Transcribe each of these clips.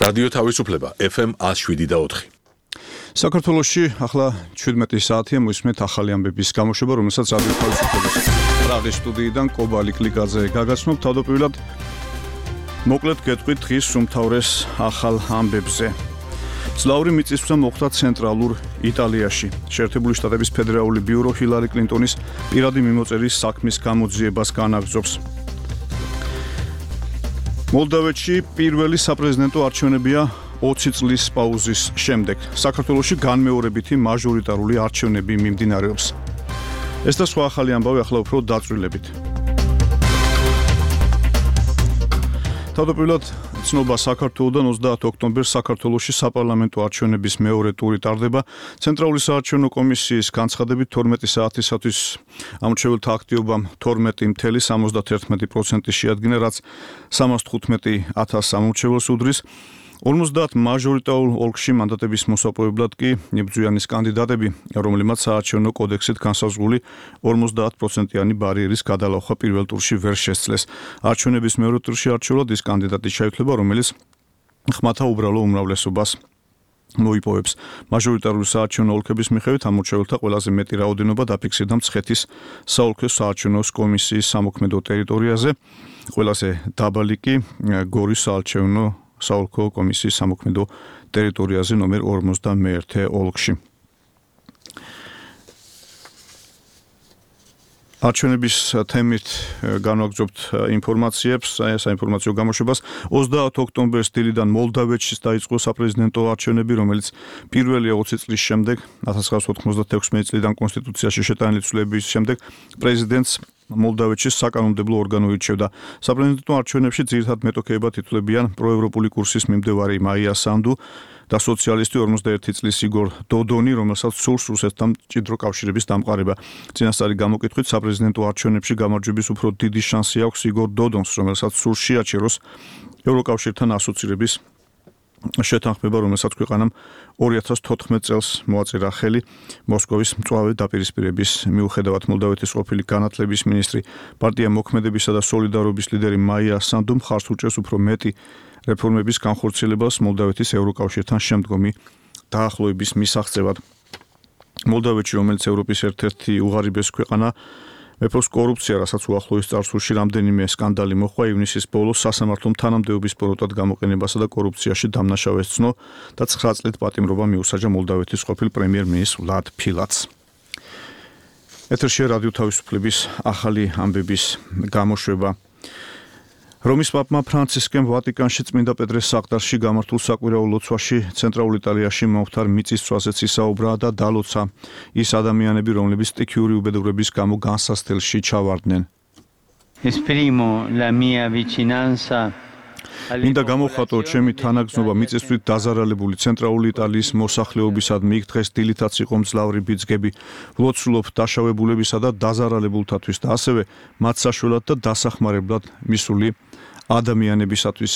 რადიო თავისუფლება FM 107.4. საქართველოში ახლა 17 საათია მოისმენთ ახალი ამბების გამოშვება, რომელსაც რადიო თავისუფლების პრაღის სტუდიიდან კობა ლიკლიკაძე გაგაცნობ. თავდაპირველად მოკლედ გეტყვით დღის უმთავრეს ახალ ამბებზე. ძლავრი მიწისძვრა მოხდა ცენტრალურ იტალიაში. შეერთებული შტატების ფედერალური ბიურო ჰილარი კლინტონის პირადი მიმოწერის საქმის გამოძიებას განაგრძობს. მოლდავეთში პირველი საპრეზიდენტო არჩევნებია 20 წლის პაუზის შემდეგ. საქართველოში განმეორებითი მაჟორიტარული არჩევნები მიმდინარეობს. ეს და სხვა ახალი ამბავი ახლა უფრო დაწვრილებით. თავდაპირველად ცნობა საქართველოდან 30 ოქტომბერს საქართველოში საპარლამენტო არჩევნების მეორე ტური ტარდება. ცენტრალური საარჩევნო კომისიის განცხადებით 12 საათისათვის ამორჩეველთა აქტივობამ 12.71% შეადგინა, რაც 315,000 ამორჩეველს უდრის. 50 მაჟორიტარულ ოლქში მანდატების მოსაპოვებლად კი იბრძვიანის კანდიდატები, რომლებმაც საარჩევნო კოდექსით განსაზღვრული 50%-იანი ბარიერის გადალახვა პირველ ტურში ვერ შესძლეს. არჩევნების მეორე ტურში არჩეულად ის კანდიდატი შეითვლება, რომელიც ხმათა უბრალო უმრავლესობას მოიპოვებს. მაჟორიტარული საარჩევნო ოლქების მიხედვით ამორჩეველთა ყველაზე მეტი რაოდენობა დაფიქსირდა მცხეთის საოლქო საარჩევნო კომისიის სამოქმედო ტერიტორიაზე, ყველაზე დაბალი კი გორის საოლქო კომისიის სამოქმედო ტერიტორიაზე ნომერ 51 ოლქში. არჩევნების თემით განვაგრძობთ ინფორმაციებს, საინფორმაციო გამოშვებას. 30 ოქტომბერს დილიდან მოლდავეთში დაიწყო საპრეზიდენტო არჩევნები, რომელიც პირველია 20 წლის შემდეგ, 1996 წლიდან კონსტიტუციაში შეტანილი ცვლილების შემდეგ პრეზიდენტს მოლდავეთში საკანონმდებლო ორგანო ირჩევდა. საპრეზიდენტო არჩევნებში ძირითად მეტოქეებად ითვლებიან პროევროპული კურსის მიმდევარი მაია სანდუ და სოციალისტი 51 წლის იგორ დოდონი, რომელსაც სურს რუსეთთან მჭიდრო კავშირების დამყარება. წინასწარი გამოკითხვით საპრეზიდენტო არჩევნებში გამარჯვების უფრო დიდი შანსი აქვს იგორ დოდონს, რომელსაც სურს შეაჩეროს ევროკავშირთან ასოცირების შეთანხმება, რომელსაც ქვეყანამ 2014 წელს მოაწერა ხელი მოსკოვის მწვავე დაპირისპირების მიუხედავად. მოლდავეთის ყოფილი განათლების მინისტრი, პარტია მოქმედებისა და სოლიდარობის ლიდერი მაია სანდუ მხარს უჭერს უფრო მეტი რეფორმების განხორციელებას მოლდავეთის ევროკავშირთან შემდგომი დაახლოების მისაღწევად. მოლდავეთში, რომელიც ევროპის ერთ-ერთი უღარიბესი ქვეყანა, მეფობს კორუფცია, რასაც უახლოეს წარსულში რამდენიმე სკანდალი მოჰყვა. ივნისის ბოლოს სასამართლომ თანამდებობის პოროტად გამოყენებასა და კორუფციაში დამნაშავეს ცნო და 9 წლით პატიმრობა მიუსაჯა მოლდავეთის ყოფილ პრემიერ-მინისტრ ვლად ფილატს. ეთერშია რადიო თავისუფლების ახალი ამბების გამოშვება. რომის პაპმა ფრანცისკემ ვატიკანში წმინდა პეტრეს საყდარში გამართულ საკვირაო ლოცვაში ცენტრალურ იტალიაში მომხდარ მიწისძვრაზეც ისაუბრა და დალოცა ის ადამიანები, რომლებიც სტიქიური უბედურების გამო განსასწრელში ჩავარდნენ. Esprimo la mia vicinanza. მინდა გამოვხატო ჩემი თანაგზნობა მიწისძვრით დაზარალებული ცენტრალური იტალიის მოსახლეობისადმი. იქ დღეს დილითაც იყო მძლავრი ბიძგები. ვლოცულობ დაშავებულებისა და დაზარალებულთათვის და ასევე მათ საშველად და დასახმარებლად მისული ადამიანებისათვის.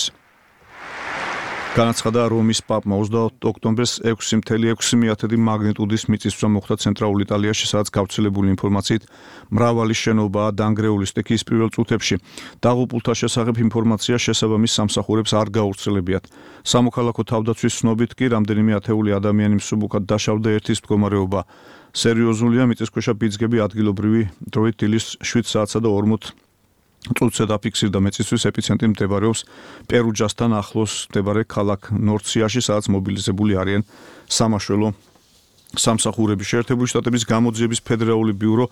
განაცხადა რომის პაპმა 30 ოქტომბერს 6.6 მაგნიტუდის მიწისძვრა მოხდა ცენტრალურ იტალიაში, სადაც გავრცელებული ინფორმაციით მრავალი შენობაა დანგრეული სტიქიის პირველ წუთებში. დაღუპულთა შესახებ ინფორმაცია შესაბამის სამსახურებს არ გაავრცელებიათ. სამოქალაქო თავდაცვის ცნობით კი რამდენიმე ათეული ადამიანი მსუბუქად დაშავდა. ერთის მდგომარეობა სერიოზულია. მიწისქვეშა ბიძგები ადგილობრივი დროით დილის 7 საათსა და 40 წუთზე დაფიქსირდა. მეწისთვის ეპიცენტრი მდებარეობს პერუჯასთან ახლოს მდებარე ქალაქ ნორციაში, სადაც მობილიზებული არიან სამაშველო სამსახურები. შეერთებული შტატების გამოძიების ფედერალური ბიურო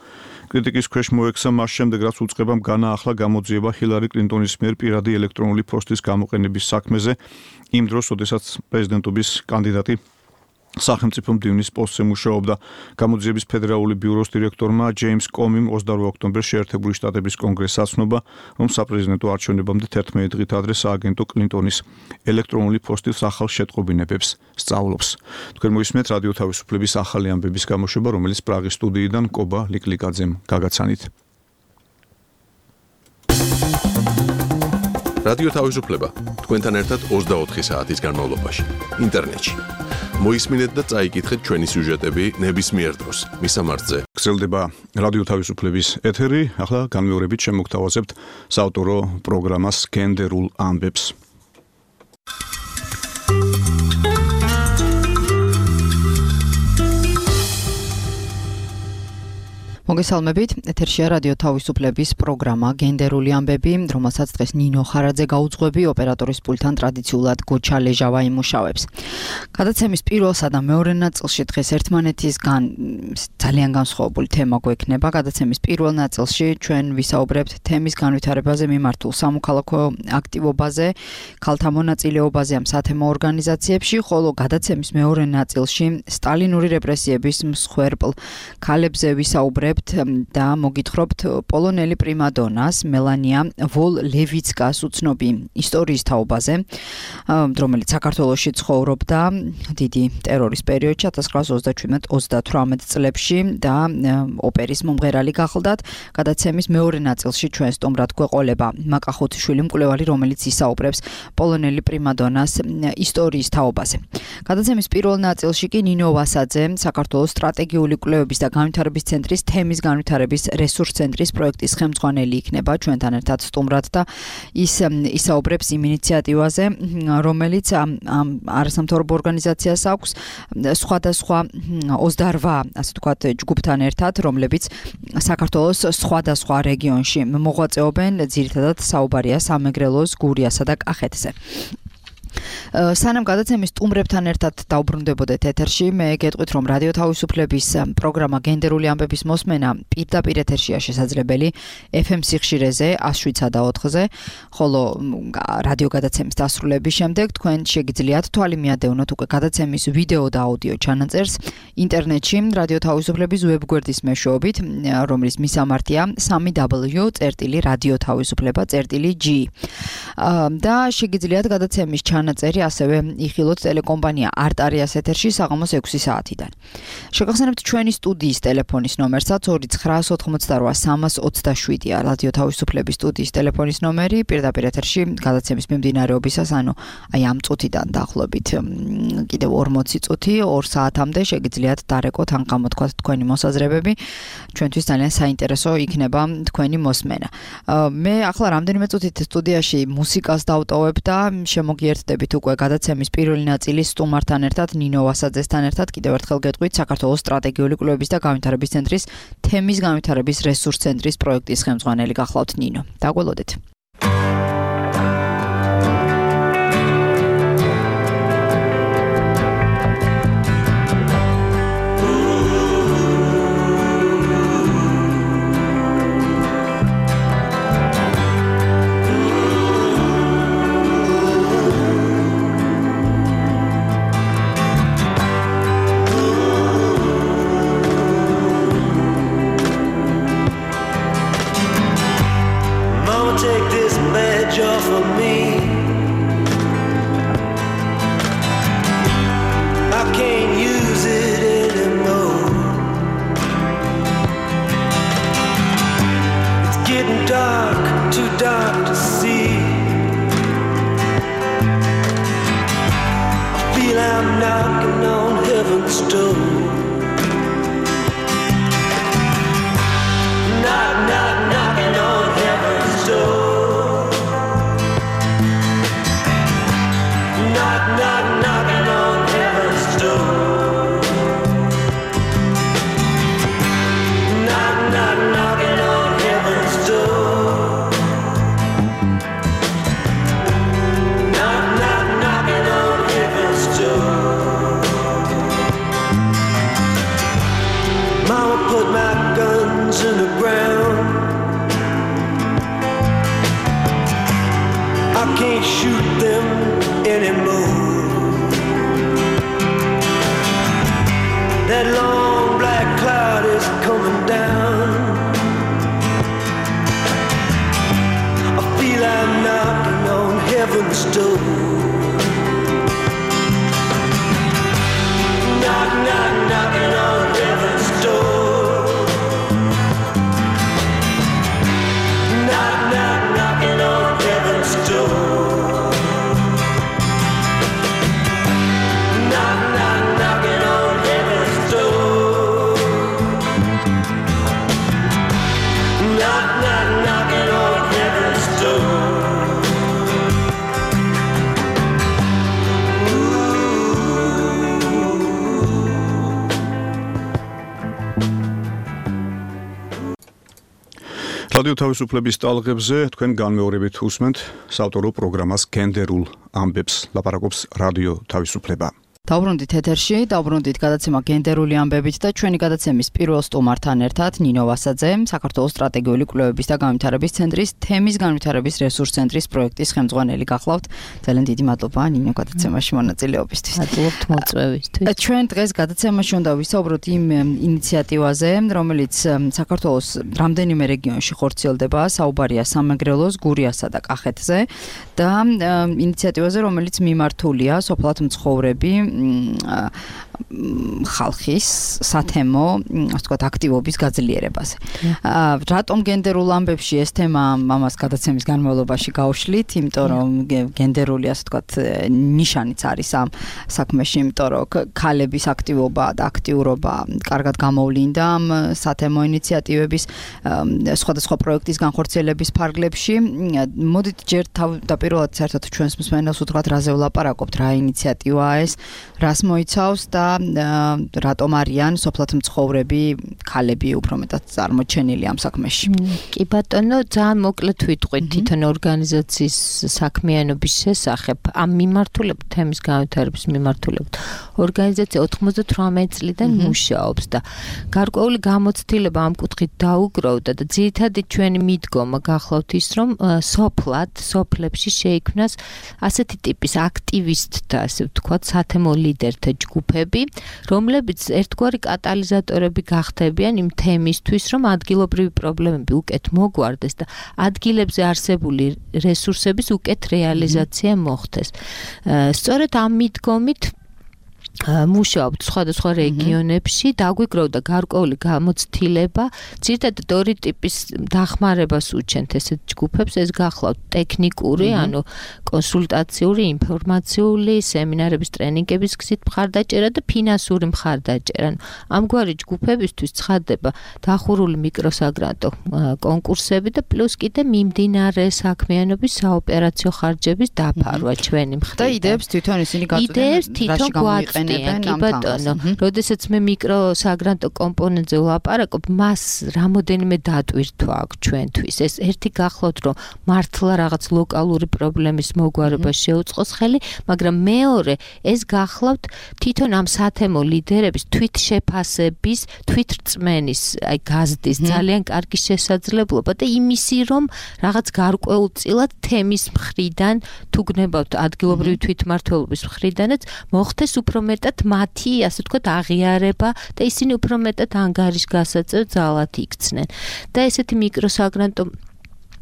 კრიტიკის ქვეშ მოექცა მას შემდეგ, რაც უწყებამ განაახლა გამოძიება ჰილარი კლინტონის მიერ პირადი ელექტრონული პოსტის გამოყენების საქმეზე, იმ დროს, როდესაც პრეზიდენტობის კანდიდატი სახელმწიფო მდივნის პოსტზე მუშაობდა. გამოძიების ფედერალური ბიუროს დირექტორმა ჯეიმს კომიმ 28 ოქტომბერს შეერთებული შტატების კონგრესს აცნობა, რომ საპრეზიდენტო არჩევნებამდე 11 დღით ადრე სააგენტო კლინტონის ელექტრონული პოსტის ახალ შეტყობინებებს სწავლობს. თქვენ მოისმენთ რადიო თავისუფლების ახალი ამბების გამოშვება, რომელიც პრაღის სტუდიიდან კობა ლიკლიკაძემ გაგაცანით. რადიო თავისუფლება თქვენთან ერთად 24 საათის განმავლობაში ინტერნეტში. მოისმინეთ და წაიკითხეთ ჩვენი სიუჟეტები ნებისმიერ დროს. მისამართზე გრძელდება რადიო თავისუფლების ეთერი. ახლა განმეორებით შემოგთავაზებთ საავტორო პროგრამას გენდერულ ამბებს. მოგესალმებით, ეთერშია რადიო თავისუფლების პროგრამა გენდერული ამბები, რომელსაც დღეს ნინო ხარაძე გაუძღვები, ოპერატორის პულტთან ტრადიციულად გოჩა ლეჟავა იმუშავებს. გადაცემის პირველსა და მეორე ნაწილში დღეს ერთმანეთისგან ძალიან განსხვავებული თემა გვექნება. გადაცემის პირველ ნაწილში ჩვენ ვისაუბრებთ თემის განვითარებაზე მიმართულ სამოქალაქო აქტივობაზე, ქალთა მონაწილეობაზე ამ სათემო ორგანიზაციებში, ხოლო გადაცემის მეორე ნაწილში სტალინური რეპრესიების მსხვერპლ ქალებზე ვისაუბრებთ და მოგითხრობთ პოლონელი პრიმადონას მელანია ვოლ-ლევიცკას უცნობი ისტორიის თაობაზე, რომელიც საქართველოში ცხოვრობდა დიდი ტერორის პერიოდში 1927-38 წლებში და ოპერის მომღერალი გახლდათ. გადაცემის მეორე ნაწილში ჩვენ სტუმრად გვეყოლება მაკა ხუთიშვილი მკვლევარი, რომელიც ისაუბრებს პოლონელი პრიმადონას ისტორიის თაობაზე. გადაცემის პირველ ნაწილში კი ნინო ვასაძე, საქართველოს სტრატეგიული კვლევების და განვითარების ცენტრის თემის განვითარების რესურს ცენტრის პროექტის ხელმძღვანელი იქნება ჩვენთან ერთად სტუმრად და ის ისაუბრებს იმ ინიციატივაზე, რომელიც არასამთავრობო ორგანიზაციას აქვს სხვადასხვა 28 ასე ვთქვათ ჯგუფთან ერთად, რომლებიც საქართველოს სხვადასხვა რეგიონში მოღვაწეობენ, ძირითადად საუბარია სამეგრელოს, გურიასა და კახეთზე. სანამ გადაცემის სტუმრებთან ერთად დაუბრუნდებოდეთ ეთერში, მე გეტყვით, რომ რადიო თავისუფლების პროგრამა გენდერული ამბების მოსმენა პირდაპირ ეთერშია შესაძლებელი FM სიხშირეზე 107.4-ზე, ხოლო რადიო გადაცემის დასრულების შემდეგ თქვენ შეგიძლიათ თვალი მიადევნოთ უკვე გადაცემის ვიდეო და აუდიო ჩანაწერს ინტერნეტში რადიო თავისუფლების ვებგვერდის მეშვეობით, რომლის მისამართია www.radiotavisufleba.g და შეგიძლიათ გადაცემის ჩანაწერი ასევე იხილოთ ტელეკომპანია არტარიას ეთერში საღამოს 6 საათიდან. შეგახსენებთ ჩვენი სტუდიის ტელეფონის ნომერსაც 2988327-ია რადიო თავისუფლების სტუდიის ტელეფონის ნომერი, პირდაპირ ეთერში გადაცემის მიმდინარეობისას, ანუ აი ამ წუთიდან დაახლოებით კიდევ 40 წუთი 2 საათამდე შეგიძლიათ დარეკოთ ან გამოთქვათ თქვენი მოსაზრებები. ჩვენთვის ძალიან საინტერესო იქნება თქვენი მოსმენა. მე ახლა რამდენიმე წუთით სტუდიაში მუსიკას დავტოვებ და შემოგიერთდებით უკვე გადაცემის პირველი ნაწილის სტუმართან ერთად, ნინო ვასაძესთან ერთად. კიდევ ერთხელ გეტყვით, საქართველოს სტრატეგიული კვლევების და განვითარების ცენტრის თემის განვითარების რესურს ცენტრის პროექტის ხელმძღვანელი გახლავთ ნინო. დაგველოდეთ. რადიო თავისუფლების ტალღებზე თქვენ განმეორებით უსმენთ საავტორო პროგრამას გენდერულ ამბებს, ლაპარაკობს რადიო თავისუფლება. დავბრუნდით ეთერში, დავბრუნდით გადაცემა გენდერული ამბებით და ჩვენი გადაცემის პირველ სტუმართან ერთად ნინო ვასაძე, საქართველოს სტრატეგიული კვლევების და განვითარების ცენტრის თემის განვითარების რესურს ცენტრის პროექტის ხელმძღვანელი გახლავთ. ძალიან დიდი მადლობა ნინო გადაცემაში მონაწილეობისთვის. მადლობთ მოწვევისთვის. ჩვენ დღეს გადაცემაში უნდა ვისაუბროთ იმ ინიციატივაზე, რომელიც საქართველოს რამდენიმე რეგიონში ხორციელდება, საუბარია სამეგრელოს, გურიასა და კახეთზე და ინიციატივაზე, რომელიც მიმართულია სოფლად მცხოვრები ხალხის სათემო, ასე ვთქვათ, აქტივობის გაძლიერებაზე. რატომ გენდერულ ამბებში ეს თემა ამას გადაცემის განმავლობაში გავშლით, იმიტომ რომ გენდერული, ასე ვთქვათ, ნიშანიც არის ამ საქმეში, იმიტომ რომ ქალების აქტივობა და აქტიურობა კარგად გამოვლინდა ამ სათემო ინიციატივების სხვადასხვა პროექტის განხორციელების ფარგლებში. მოდით ჯერ თავდაპირველად საერთოდ ჩვენს მსმენელს უთხრათ, რაზე ვლაპარაკობთ, რა ინიციატივაა ეს, რას მოიცავს და რატომ არიან სოფლად მცხოვრები ქალები უფრო მეტად წარმოჩენილი ამ საქმეში. კი ბატონო, ძალიან მოკლედ ვიტყვით თვითონ ორგანიზაციის საქმიანობის შესახებ, ამ მიმართულებით, თემის განვითარების მიმართულებით. ორგანიზაცია 98 წლიდან მუშაობს და გარკვეული გამოცდილება ამ კუთხით დაუგროვდა და ძირითადად ჩვენი მიდგომა გახლავთ ის, რომ სოფლებში შეიქმნას ასეთი ტიპის აქტივისტთა, ასე ვთქვათ, სათემო ლიდერთა ჯგუფები, რომლებიც ერთგვარი კატალიზატორები გახდებიან იმ თემისთვის, რომ ადგილობრივი პრობლემები უკეთ მოგვარდეს და ადგილებზე არსებული რესურსების უკეთ რეალიზაცია მოხდეს. სწორედ ამ მიდგომით მუშაობთ სხვადასხვა რეგიონებში, დაგვიგროვდა გარკვეული გამოცდილება, ძირითადად ორი ტიპის დახმარებას უჩენთ ესეთ ჯგუფებს, ეს გახლავთ ტექნიკური, ანუ კონსულტაციური, ინფორმაციული, სემინარების, ტრენინგების გზით მხარდაჭერა და ფინანსური მხარდაჭერა. ამგვარი ჯგუფებისთვის ცხადდება დახურული მიკროსაგრანტო კონკურსები და პლუს კიდე მიმდინარე საქმიანობის საოპერაციო ხარჯების დაფარვა ჩვენი მხრიდან. და იდეებს თვითონ ისინი გაწვდიან. კი ბატონო, როდესაც მე მიკროსაგრანტო კომპონენტზე ვლაპარაკობ, მას რამოდენიმე დატვირთვა აქვს ჩვენთვის. ეს ერთი გახლავთ, რომ მართლა რაღაც ლოკალური პრობლემის მოგვარება შეუწყოს ხელი, მაგრამ მეორე, ეს გახლავთ თვითონ ამ სათემო ლიდერების თვითშეფასების, თვითრწმენის, აი გაზრდის ძალიან კარგი შესაძლებლობა და იმისი, რომ რაღაც გარკვეულწილად თემის მხრიდან, თუ გნებავთ ადგილობრივი თვითმმართველობის მხრიდანაც, მოხდეს უფრო მეტად მათი, ასე ვთქვათ, აღიარება და ისინი უფრო მეტად ანგარიშგასაწევ ძალად იქცნენ. და ესეთი მიკროსაგრანტო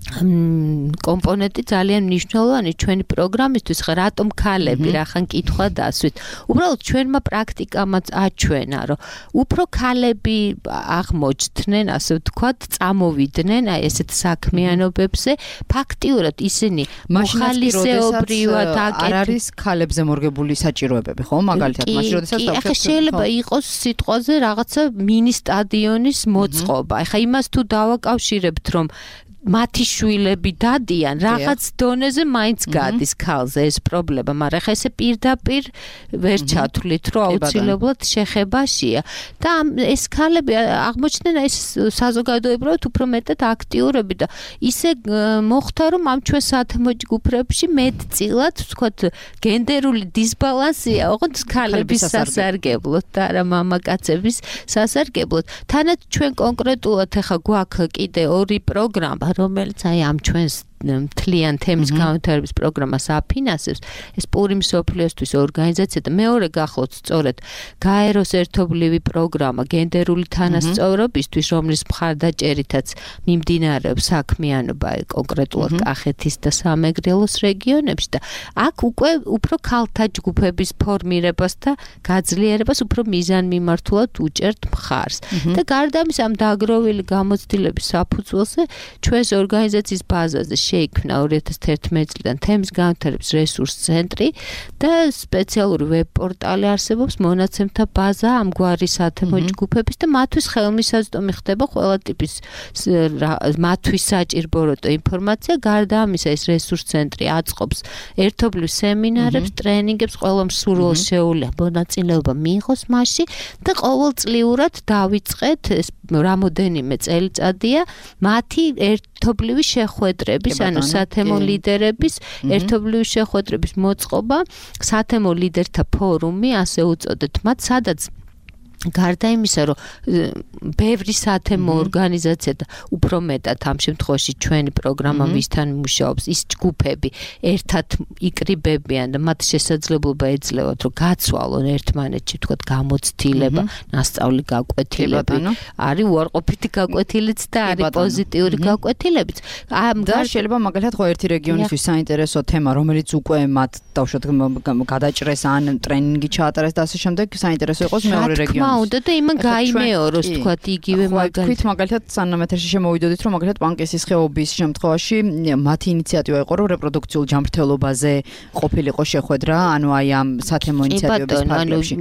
კომპონენტი ძალიან მნიშვნელოვანი ჩვენი პროგრამისთვის, ხა რატომ ქალები, რახან კითხვა დასვით. უბრალოდ ჩვენმა პრაქტიკამაც აჩვენა, რომ უფრო ქალები აღმოჩნდნენ, ასე ვთქვათ, წამოვიდნენ აი ესეთ საქმიანობებზე, ფაქტიურად ისინი მოხალისეობრივად არ არის ქალებზე მორგებული საჭიროებები, ხო? მაგალითად, მაშინ როდესაც ახლა შეიძლება იყოს სიტყვაზე რაღაცა მინი სტადიონის მოწყობა. ახლა იმას თუ დავაკავშირებთ, რომ მათი შვილები დადიან, რაღაც დონეზე მაინც გადის ქალზე ეს პრობლემა, მაგრამ ხა ესე პირდაპირ ვერ ჩათვლით, რომ აუცილებლად შეხებაშია. და ეს ქალები აღმოჩნდნენ ეს საზოგადოებრივად უფრო მეტად აქტიურები და ისე მოხდა, რომ ამ ჩვენ სათემო ჯგუფებში მეტწილად, ვთქვათ, გენდერული დისბალანსია, ოღონდ ქალების სასარგებლოდ და არა მამაკაცების სასარგებლოდ. თანაც ჩვენ კონკრეტულად ახლა გვაქვს კიდე ორი პროგრამა, რომელიც აი ამ ჩვენს მთლიან თემის განვითარების პროგრამას აფინანსებს, ეს პური მსოფლიოსთვის ორგანიზაცია და მეორე გახლავთ სწორედ გაეროს ერთობლივი პროგრამა გენდერული თანასწორობისთვის, რომლის მხარდაჭერითაც მიმდინარეობს საქმიანობა კონკრეტულად კახეთის და სამეგრელოს რეგიონებში და აქ უკვე უფრო ქალთა ჯგუფების ფორმირებას და გაძლიერებას უფრო მიზანმიმართულად უჭერთ მხარს. და გარდა ამისა ამ დაგროვილი გამოცდილების საფუძველზე ჩვენს ორგანიზაციის ბაზაზე შეიქმნა 2011 წლიდან თემის განვითარების რესურს ცენტრი და სპეციალური ვებ პორტალი არსებობს, მონაცემთა ბაზა ამგვარი სათემო ჯგუფების და მათთვის ხელმისაწვდომი ხდება ყველა ტიპის მათთვის საჭირო ინფორმაცია. გარდა ამისა, ეს რესურს ცენტრი აწყობს ერთობლივ სემინარებს, ტრენინგებს, ყველა მსურველს შეუძლია მონაწილეობა მიიღოს მასში და ყოველწლიურად დავიწყეთ ეს რამოდენიმე წელიწადია მათი ერთობლივი შეხვედრების, ანუ სათემო ლიდერების ერთობლივი შეხვედრების მოწყობა, სათემო ლიდერთა ფორუმი, ასე უწოდეთ მათ, სადაც გარდა იმისა, რომ ბევრი სათემო ორგანიზაცია და უფრო მეტად ამ შემთხვევაში ჩვენი პროგრამა ვისთან მუშაობს, ის ჯგუფები ერთად იკრიბებიან და მათ შესაძლებლობა ეძლევათ, რომ გაცვალონ ერთმანეთში, თქვათ, გამოცდილება, ნასწავლი გაკვეთილები, არის უარყოფითი გაკვეთილიც და არის პოზიტიური გაკვეთილებიც. და შეიძლება მაგალითად ხო ერთი რეგიონისთვის საინტერესო თემა, რომელიც უკვე მათ დავუშვათ გადაჭრეს ან ტრენინგი ჩაატარეს და ასე შემდეგ, საინტერესო იყოს მეორე რეგიონი. უნდა და იმან გაიმეოროს თქვათ იგივე მაგალითად მაგალითად სანამ ეთერში შემოვიდოდით რომ მაგალითად პანკისის ხეობის შემთხვევაში მათი ინიციატივა იყო რომ რეპროდუქციულ ჯანმრთელობაზე ყოფილიყო შეხვედრა ანუ აი ამ სათემო ინიციატივების ფარგლებში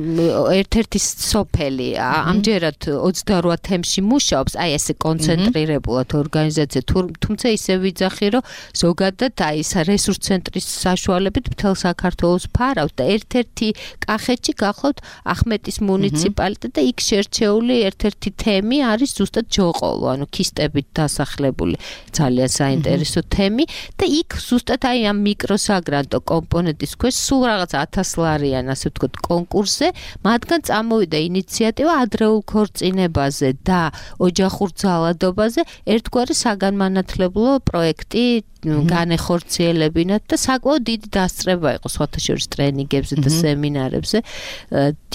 ერთ-ერთი სოფელი ამჯერად 28 თემში მუშაობს აი ესე კონცენტრირებულად ორგანიზაცია თუმცა ისე ვიძახი რომ ზოგადად აი ეს რესურს ცენტრის საშუალებით მთელ საქართველოს ფარავთ და ერთ-ერთი კახეთში გახლავთ ახმეტის მუნიციპალიტეტი და იქ შერჩეული ერთ-ერთი თემი არის ზუსტად ჯოყოლო, ანუ ქისტებით დასახლებული ძალიან საინტერესო თემი და იქ ზუსტად აი ამ მიკროსაგრანტო კომპონენტის ქვეშ სულ რაღაც 1000 ლარიან, ასე ვთქვათ, კონკურსზე, მათგან წამოვიდა ინიციატივა ადრეულ ქორწინებაზე და ოჯახურ ძალადობაზე ერთგვარი საგანმანათლებლო პროექტი განეხორციელებინათ და საკმაოდ დიდი დასწრება იყო სხვათა შორის ტრენინგებზე და სემინარებზე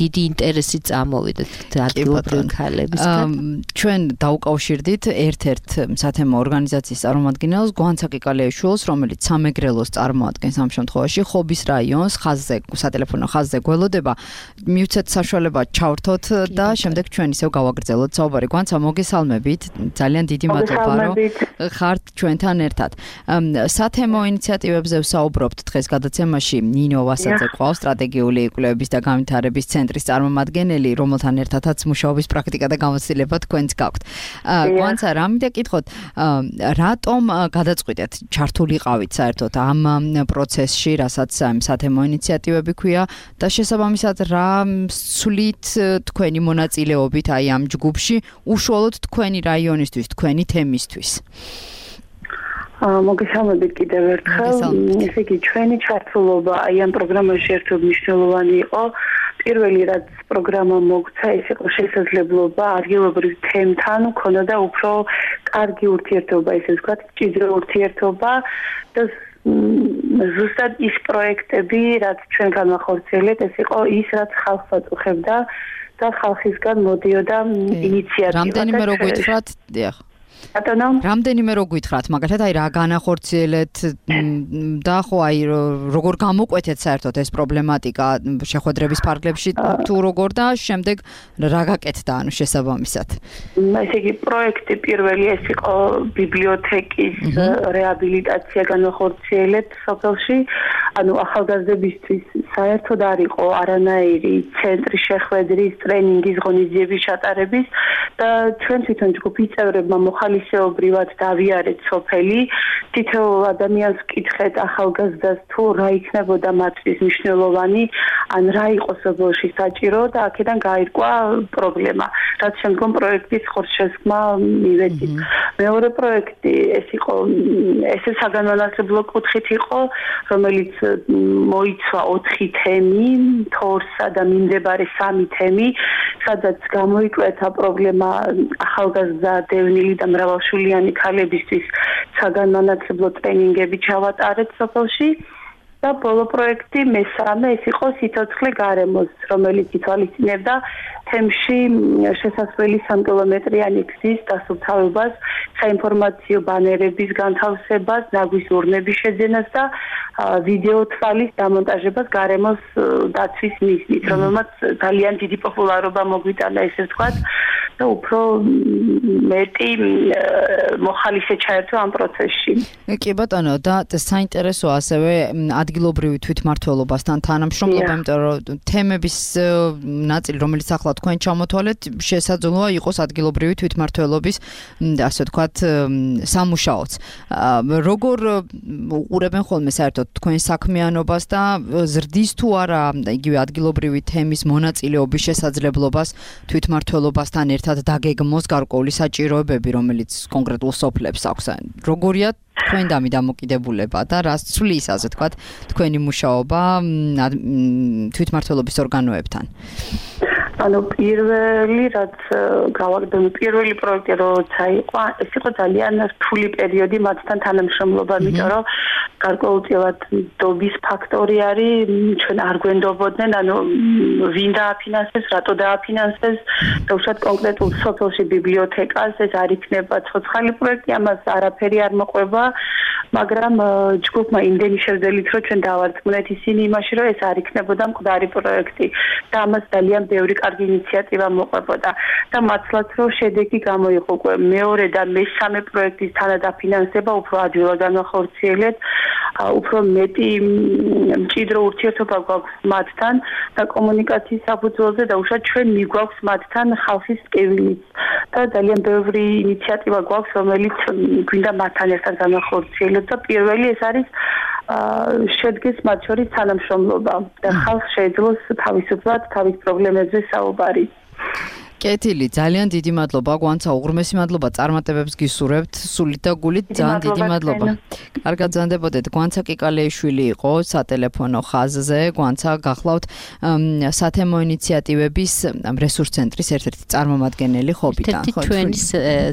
დიდი ინტერესი წამოვიდა ადგილობრივი ქალებისგან. ჩვენ დაუკავშირდით ერთ-ერთ სათემო ორგანიზაციის წარმომადგენელს გვანცაკი კალეიშვილს, რომელიც სამეგრელოს წარმოადგენს ამ შემთხვევაში ხობის რაიონს ხაზზე სატელეფონო ხაზზე გველოდება. მივცეთ საშუალება ჩავრთოთ და შემდეგ ჩვენ ისევ გავაგრძელოთ საუბარი. გვანცა მოგესალმებით. ძალიან დიდი მადლობა რომ ხართ ჩვენთან ერთად. სათემო ინიციატივებზე ვსაუბრობთ დღეს გადაცემაში ნინო ვასაძე ყავს სტრატეგიული კვლევების და განვითარების ცენტრის წარმომადგენელი, რომელთან ერთადაც მუშაობის პრაქტიკა და გამოცდილება თქვენც გაქვთ. გვანცა რამე კითხოთ, რატომ გადაწყვიტეთ ჩართულიყავით საერთოდ ამ პროცესში, რასაც სათემო ინიციატივები ქვია და შესაბამისად რა სულით თქვენი მონაწილეობით აი ამ ჯგუფში უშუალოდ თქვენი რაიონისთვის, თქვენი თემისთვის? მოგესალმებით კიდევ ერთხელ. ესე იგი, ჩვენი ჩართულობა აი ამ პროგრამაში ერთობ მნიშვნელოვანი იყო. პირველი რაც პროგრამა მოგცა, ეს იყო შესაძლებლობა ადგილობრივ თემთან ქონოდა უფრო კარგი ურთიერთობა, ესე ვთქვათ, ჭიდრო ურთიერთობა და ზუსტად ის პროექტები, რაც ჩვენ განვახორციელებთ, ეს იყო ის, რაც ხალხს აწუხებდა და ხალხისგან მოდიოდა ინიციატივა. რამდენიმე რო გითხრათ, დიახ. რამდენიმე რო გითხრათ, მაგალითად აი რა განახორციელეთ და ხო აი როგორ გამოკვეთეთ საერთოდ ეს პრობლემატიკა შეხვედრების ფარგლებში თუ როგორ და შემდეგ რა გაკეთდა ანუ შესაბამისად. ესე იგი პროექტი პირველი ეს იყო ბიბლიოთეკის რეაბილიტაცია განახორციელებთ სოფელში, ანუ ახალგაზრდებისთვის საერთოდ არ იყო არანაირი ცენტრის შეხვედრის, ტრენინგის, ღონისძიების ჩატარების და ჩვენ თვითონ ჯგუფის წევრებმა ხალისეობრივად დავიარეთ სოფელი, თითოეულ ადამიანს ვკითხეთ ახალგაზრდას თუ რა იქნებოდა მათთვის მნიშვნელოვანი, ან რა იყო სოფელში საჭირო და აქედან გაირკვა პრობლემა, რაც შემდგომ პროექტის ხორცშესხმა მივედით. მეორე პროექტი ეს იყო, ესე საგანმანათლებლო კუთხით იყო, რომელიც მოიცვა 4 თემი, თორსა და მიმდებარე 3 თემი, სადაც გამოიკვეთა პრობლემა ახალგაზრდა დევნილი და მრავალშვილიანი ქალებისთვის საგანმანათლებლო ტრენინგები ჩავატარეთ სოფელში და ბოლო პროექტი მესამე ეს იყო სიცოცხლე გარემოს, რომელიც ითვალისწინებდა თემში შესაძლებელი 3 კილომეტრიანი გზის დასუფთავებას, საინფორმაციო ბანერების განთავსებას, ნაგვის ურნების შეძენას და ვიდეო თვალის დამონტაჟებას გარემოს დაცვის მიზნით, რომელმაც ძალიან დიდი პოპულარობა მოგვიტანა, ესე ვთქვათ, და უფრო მეტი მოხალისე ჩაერთო ამ პროცესში. კი ბატონო, და საინტერესო ასევე ადგილობრივი თვითმმართველობასთან თანამშრომლობა, იმიტომ რომ თემების ნაწილი, რომელიც ახლა თქვენ ჩამოთვალეთ, შესაძლოა იყოს ადგილობრივი თვითმმართველობის, ასე ვთქვათ, სამუშაოც. როგორ უყურებენ ხოლმე საერთოდ თქვენ საქმიანობას და ზრდის თუ არა იგივე ადგილობრივი თემის მონაწილეობის შესაძლებლობას თვითმმართველობასთან ერთად დაგეგმოს გარკვეული საჭიროებები, რომელიც კონკრეტულ სოფლებს აქვს. როგორია თქვენდამი დამოკიდებულება და რას ცვლის, ასე ვთქვათ, თქვენი მუშაობა თვითმმართველობის ორგანოებთან? ანუ პირველი რაც გავაგრძელე, პირველი პროექტი როცა იყო, ეს იყო ძალიან რთული პერიოდი მათთან თანამშრომლობა, იმიტომ რომ გარკვეულწილად დობის ფაქტორი არის, ჩვენ არ გვენდობოდნენ, ანუ ვინ დააფინანსებს, რატო დააფინანსებს, და უშუალოდ კონკრეტულ სოფელში ბიბლიოთეკას ეს არ იქნება ცოცხალი პროექტი, ამას არაფერი არ მოყვება, მაგრამ ჯგუფმა იმდენი შეძლით, რომ ჩვენ დავარწმუნეთ ისინი იმაში, რომ ეს არ იქნებოდა მკვდარი პროექტი და ამას ძალიან ბევრი კარგი ინიციატივა მოყვებოდა და მართლაც რომ შედეგი გამოიყო უკვე მეორე და მესამე პროექტის თანადაფინანსება უფრო ადვილად განახორციელეთ, უფრო მეტი მჭიდრო ურთიერთობა გვაქვს მათთან და კომუნიკაციის საფუძველზე და უშუალოდ ჩვენ მიგვაქვს მათთან ხალხის ტკივილიც და ძალიან ბევრი ინიციატივა გვაქვს, რომელიც გვინდა მათთან ერთად განახორციელოთ და პირველი ეს არის შედგეს მათ შორის თანამშრომლობა და ხალხს შეეძლოს თავისუფლად თავის პრობლემებზე საუბარი. კეთილი, ძალიან დიდი მადლობა, გვანცა უღრმესი მადლობა წარმატებებს გისურვებთ, სულით და გულით, ძალიან დიდი მადლობა. კარგად ზანდებოდეთ, გვანცა კიკალეიშვილი იყო სატელეფონო ხაზზე, გვანცა გახლავთ სათემო ინიციატივების რესურს ცენტრის ერთ-ერთი წარმომადგენელი ხობიდან, ხო? ჩვენი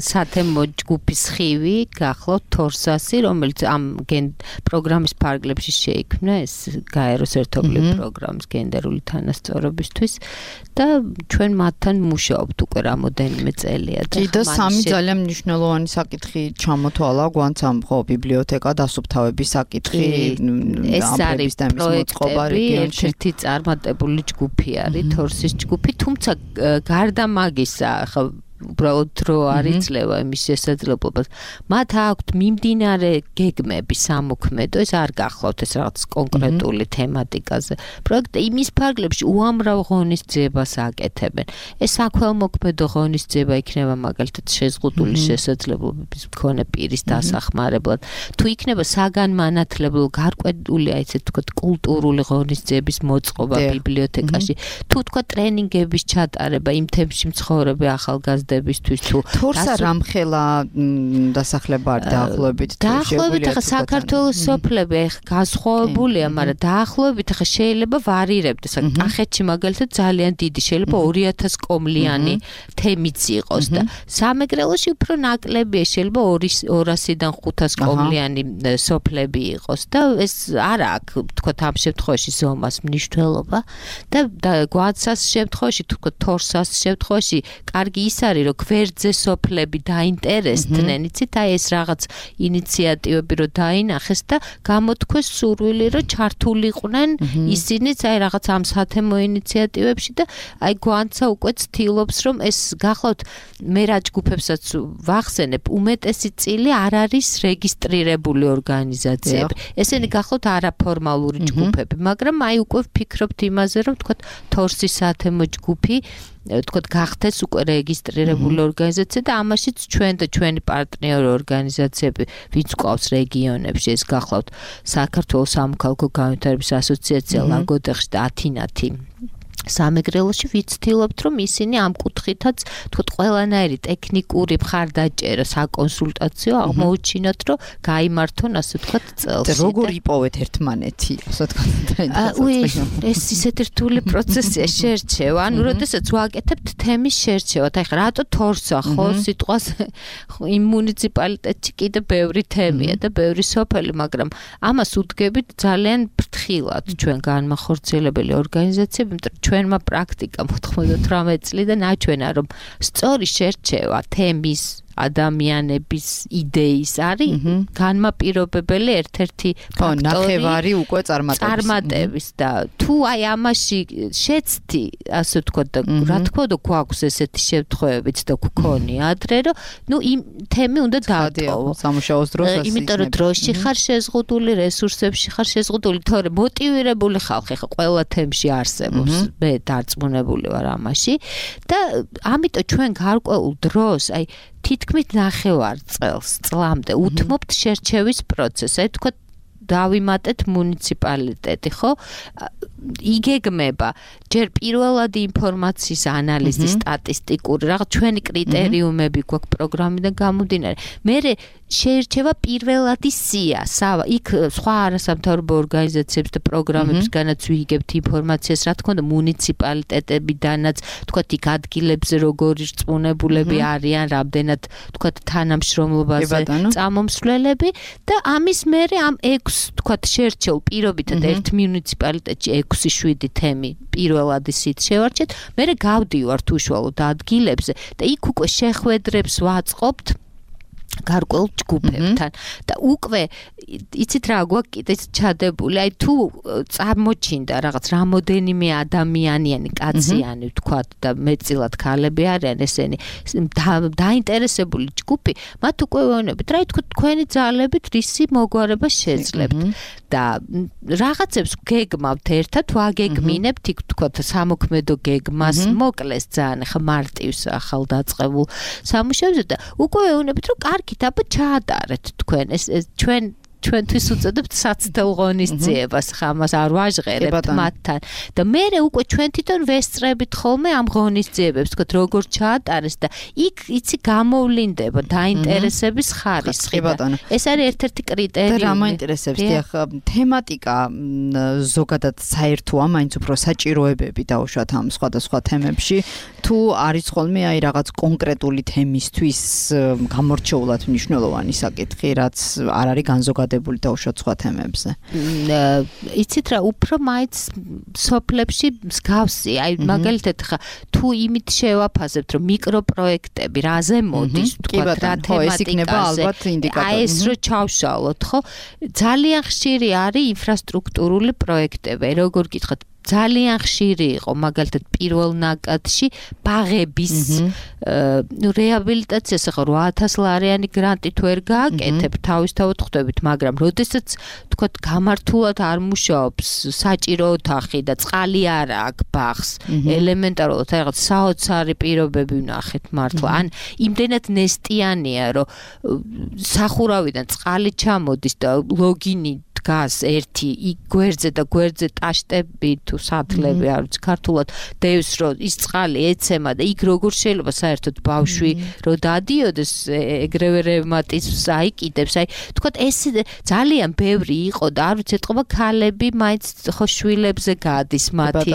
სათემო ჯგუფის ხივი გახლავთ თორსასი, რომელიც ამ პროგრამის ფარგლებში შეიქმნა, ეს გაეროს ერთობლივი პროგრამის გენდერული თანასწორობისთვის და ჩვენ მათთან მუშაობთ უკვე რამოდენიმე წელია და და სამი ძალიან მნიშვნელოვანი საკითხი ჩამოთვალა გვანცამ, ხო, ბიბლიოთეკა, დასუფთავების საკითხი, ეს არის პროექტები, ერთ-ერთი წარმატებული ჯგუფი არის, თორსის ჯგუფი, თუმცა გარდა მაგისა, ხო, უბრალოდ რო არ იძლევა იმის შესაძლებლობას. მათ აქვთ მიმდინარე გეგმები სამოქმედო, ეს არ გახლავთ ეს რაღაც კონკრეტული თემატიკაზე. პროექტი იმის ფარგლებში უამრავ ღონისძიებას აკეთებენ. ეს საქველმოქმედო ღონისძიება იქნება მაგალითად შეზღუდული შესაძლებლობების მქონე პირის დასახმარებლად. თუ იქნება საგანმანათლებლო გარკვეული, აი ესე ვთქვათ, კულტურული ღონისძიების მოწყობა ბიბლიოთეკაში, თუ თქვა ტრენინგების ჩატარება იმ თემში მცხოვრები ახალგაზრდებისთვის თუ თორსა რამხელა დასახლება არ დაახლოებით ახლა საქართველოს სოფლები განსხვავებულია, მაგრამ დაახლოებით ახლა შეიძლება ვარირებდეს. კახეთში მაგალითად ძალიან დიდი შეიძლება 2000 კომლიანი თემიც იყოს და სამეგრელოში უფრო ნაკლებია, შეიძლება 200-დან 500 კომლიანი სოფლები იყოს და ეს არ აქვს თქო ამ შემთხვევაში ზომას მნიშვნელობა და გვაცას შემთხვევაში თქო თორსას შემთხვევაში კარგი ის არის რომ გვერდზე სოფლები დაინტერესდნენ, იცით, აი ეს რაღაც ინიციატივები რომ დაინახეს და გამოთქვეს სურვილი რომ ჩართულიყვნენ ისინიც აი რაღაც ამ სათემო ინიციატივებში და აი გვანცა უკვე ცდილობს რომ ეს გახლავთ მე რა ჯგუფებსაც ვახსენებ, უმეტესი წილი არ არის რეგისტრირებული ორგანიზაციები. ესენი გახლავთ არაფორმალური ჯგუფები, მაგრამ აი უკვე ვფიქრობთ იმაზე რომ თქვა თორსის სათემო ჯგუფი თქვა გახდეს უკვე რეგისტრირებული ორგანიზაცია და ამაშიც ჩვენ და ჩვენი პარტნიორი ორგანიზაციები ვინც ყავს რეგიონებში, ეს გახლავთ საქართველოს სამოქალაქო განვითარების ასოციაცია ლაგოდეხში და ათინათი სამეგრელოში ვიცდილობთ რომ ისინი ამ კუთხითაც თქვა ყველანაირი ტექნიკური მხარდაჭერა საკონსულტაციო აღმოუჩინოთ რომ გაიმართონ ასე თქვა წელს. როგორ იპოვეთ ერთმანეთი, ასე თქვა ეს ისეთი რთული პროცესია შერჩევა, ანუ როდესაც ვაკეთებთ თემის შერჩევათ, აი ხა რატო თორსა ხო სიტყვას იმ მუნიციპალიტეტში კიდე ბევრი თემია და ბევრი სოფელი, მაგრამ ამას უდგებით ძალიან ფრთხილად ჩვენ განმახორციელებელი ორგანიზაციები, იმიტომ ჩვენმა პრაქტიკამ 98 წლიდან აჩვენა, რომ სწორი შერჩევა თემის ადამიანების იდეის არის განმაპირობებელი ერთ-ერთი ფაქტორი. ნახევარი უკვე წარმატების და თუ აი ამაში შეცდი, ასე ვთქვათ, და რა თქმა უნდა გვაქვს ესეთი შემთხვევებიც და გქონია ადრე, რომ იმ თემი უნდა დაატოვო. სამუშაოს დროს ასე. იმიტომ რომ დროში ხარ შეზღუდული, რესურსებში ხარ შეზღუდული, თორე მოტივირებული ხალხი ხა ყველა თემში არსებობს. მე დარწმუნებული ვარ ამაში და ამიტომ ჩვენ გარკვეულ დროს, აი თითქმის ნახევარ წლამდე უთმობთ შერჩევის პროცესს. აი თქვა დავიმატეთ მუნიციპალიტეტი, ხო? იგეგმება ჯერ პირველადი ინფორმაციის ანალიზი, სტატისტიკური, რაღაც ჩვენი კრიტერიუმები გვაქვს პროგრამიდან გამომდინარე. მერე შეირჩევა პირველადი სია, იქ სხვა არასამთავრობო ორგანიზაციებს და პროგრამებისგანაც ვიგებთ ინფორმაციას, რა თქმა უნდა, მუნიციპალიტეტებიდანაც, თქვათ, იქ ადგილებზე როგორი რწმუნებულები არიან, რამდენად, თქვათ, თანამშრომლობაზე წამომსვლელები და ამის მერე ამ 6, თქვათ, შერჩეულ პირობითად ერთ მუნიციპალიტეტში 6-7 თემი პირველადი სით შევარჩეთ, მერე გავდივართ უშუალოდ ადგილებზე და იქ უკვე შეხვედრებს ვაწყობთ გარკვეულ ჯგუფებთან და უკვე იცით რა გვაქვს კიდეც ჩადებული, აი თუ წარმოჩინდა რაღაც რამოდენიმე ადამიანიანი კაციანი ვთქვათ და მეტწილად ქალები არიან ესენი დაინტერესებული ჯგუფი, მათ უკვე ვეუბნებით, რა თქო თქვენი ძალებით რისი მოგვარება შეძლებთ და რაღაცებს გეგმავთ ერთად, ვაგეგმინებთ იქ თქვათ სამოქმედო გეგმას, მოკლეს ძალიან ხა მარტივს ახალდაწყებულ სამუშაოზე და უკვე ვეუბნებით, რომ კარგით, აბა ჩაატარეთ თქვენ ეს ჩვენთვის უწოდებთ საცდელ ღონისძიებას, ხამას არ ვაჟღერებთ მათთან და მერე უკვე ჩვენ თვითონ ვესწრებით ხოლმე ამ ღონისძიებებს, თქვათ როგორ ჩაატარეს და იქ იცი გამოვლინდება დაინტერესების ხარისხი. ეს არის ერთ-ერთი კრიტერიუმი. და რა მაინტერესებს, დიახ, თემატიკა ზოგადად საერთოა, მაინც უფრო საჭიროებები დაუშვათ ამ სხვადასხვა თემებში, თუ არის ხოლმე აი რაღაც კონკრეტული თემისთვის გამორჩეულად მნიშვნელოვანი საკითხი, რაც არ არის განზოგადებული დაუშვათ სხვა თემებზე. იცით რა, უფრო მაინც სოფლებში მსგავსი, აი მაგალითად ხა თუ იმით შევაფასებთ, რომ მიკროპროექტები რაზე მოდის, თქვათ რა თემატიკაზე, აი ეს რო ჩავშალოთ, ხო? ძალიან ხშირი არის ინფრასტრუქტურული პროექტები, როგორ გითხოთ, ძალიან ხშირი იყო მაგალითად პირველ ნაკადში ბაღების რეაბილიტაციას ახლა 8000 ლარიანი გრანტით ვერ გააკეთებ, თავისთავად ხვდებით, მაგრამ როდესაც თქვათ გამართულად არ მუშაობს საჭირო ოთახი და წყალი არ აქვს ბაღს, ელემენტარულად რაღაც საოცარი პირობები ვნახეთ მართლა, ან იმდენად ნესტიანია, რომ სახურავიდან წყალი ჩამოდის და ლოგინი დგას ერთი გვერდზე და გვერდზე ტაშტები თუ სათლები არ ვიცი ქართულად დევს რომ ის წყალი ეცემა და იქ როგორ შეიძლება საერთოდ ბავშვი რომ დადიოდეს ეგრევე რევმატიზმს აიკიდებს აი თქვა ეს ძალიან ბევრი იყო და არ ვიცი ეთყობა ქალები მაინც ხო შვილებზე გადის მათი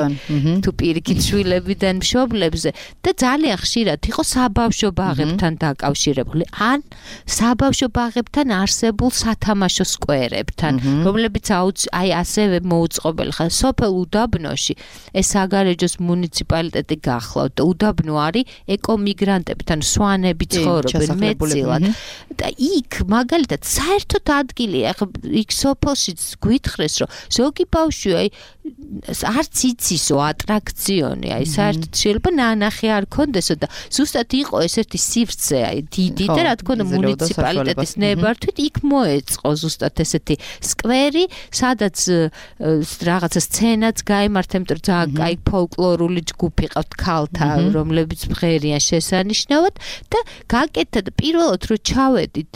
თუ პირიქით შვილებიდან მშობლებზე და ძალიან ხშირად იყო საბავშვო ბაღებთან დაკავშირებული ან საბავშვო ბაღებთან არსებულ სათამაშო სკვერებთან რომლებიც აი ასევე მოუწყობელი ხარ სოფელ უდაბნოში ეს საგარეჯოს მუნიციპალიტეტი გახლავთ და უდაბნო არის ეკომიგრანტები თან სვანები ცხოვრობენ მეტწილად და იქ მაგალითად საერთოდ ადგილია ახლა იქ სოფელშიც გვითხრეს რომ ზოგი ბავშვი აი არც იცისო ატრაქციონი აი საერთოდ შეიძლება ნანახი არ კონდესო და ზუსტად იყო ეს ერთი სივრცე აი დიდი და რა თქმა უნდა მუნიციპალიტეტის ნებართვით იქ მოეწყო ზუსტად ესეთი სკვერი სადაც რაღაცა სცენაც გაიმართა იმიტომ რომ ძალიან კაი ფოლკლორული ჯგუფი ყავთ ქალთა რომლებიც მღერიან შესანიშნავად და გაკეთდა და პირველად რომ ჩავედით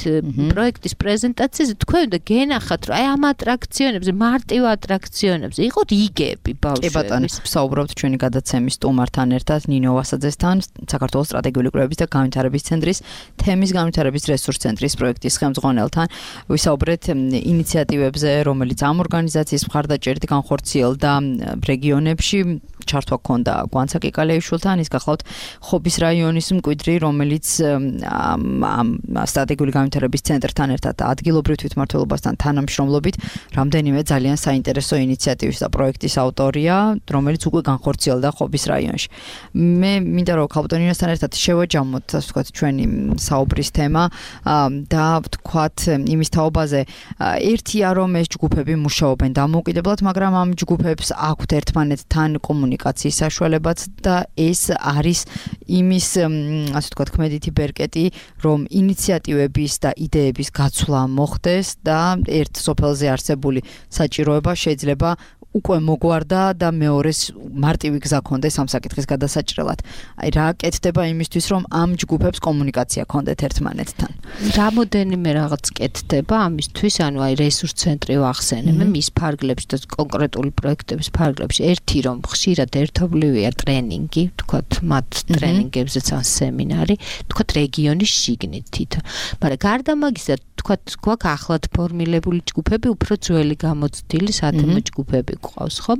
პროექტის პრეზენტაციაზე თქვენ უნდა გენახათ რომ აი ამ ატრაქციონებზე მარტივ ატრაქციონებზე იყო რიგები ბავშვების. კი ბატონო, ვსაუბრობთ ჩვენი გადაცემის სტუმართან ერთად ნინო ვასაძესთან, საქართველოს სტრატეგიული კვლევების და განვითარების ცენტრის თემის განვითარების რესურს ცენტრის პროექტის ხელმძღვანელთან. ვისაუბრეთ ინიციატივებზე, რომელიც ამ ორგანიზაციის მხარდაჭერით განხორციელდა რეგიონებში. ჩართვა ქონდა გვანცა კიკალეიშვილთან, ის გახლავთ ხობის რაიონის მკვიდრი, რომელიც ამ სტრატეგიული განვითარების ცენტრთან ერთად ადგილობრივ თვითმმართველობასთან თანამშრომლობით რამდენიმე ძალიან საინტერესო ინიციატივის და პროექტის ავტორია, რომელიც უკვე განხორციელდა ხობის რაიონში. მე მინდა რომ ქალბატონინასთან ერთად შევაჯამოთ, ასე ვთქვათ, ჩვენი საუბრის თემა და ვთქვათ იმის თაობაზე, ერთია რომ ეს ჯგუფები მუშაობენ დამოუკიდებლად, მაგრამ ამ ჯგუფებს აქვთ ერთმანეთთან კომუნიკაციის საშუალებაც და ეს არის იმის, ასე ვთქვათ, ქმედითი ბერკეტი, რომ ინიციატივების და იდეების გაცვლა მოხდეს და ერთ სოფელზე არსებული საჭიროება შეიძლება უკვე მოგვარდა და მეორეს მარტივი გზა ქონდეს ამ საკითხის გადასაჭრელად. აი რა კეთდება იმისთვის, რომ ამ ჯგუფებს კომუნიკაცია ქონდეთ ერთმანეთთან. რამოდენიმე რაღაც კეთდება ამისთვის, ანუ აი რესურს ცენტრი ვახსენებ, მის ფარგლებში და კონკრეტული პროექტების ფარგლებში. ერთი რომ ხშირად ერთობლივია ტრენინგი, თქვათ, მათ ტრენინგებზეც ან სემინარი, თქვათ რეგიონის შიგნით თითო. მაგრამ გარდა მაგისა, თქვათ, გვაქვს ახლად ფორმირებული ჯგუფები, უფრო ძველი გამოცდილი სათემო ჯგუფები გვყავს, ხომ?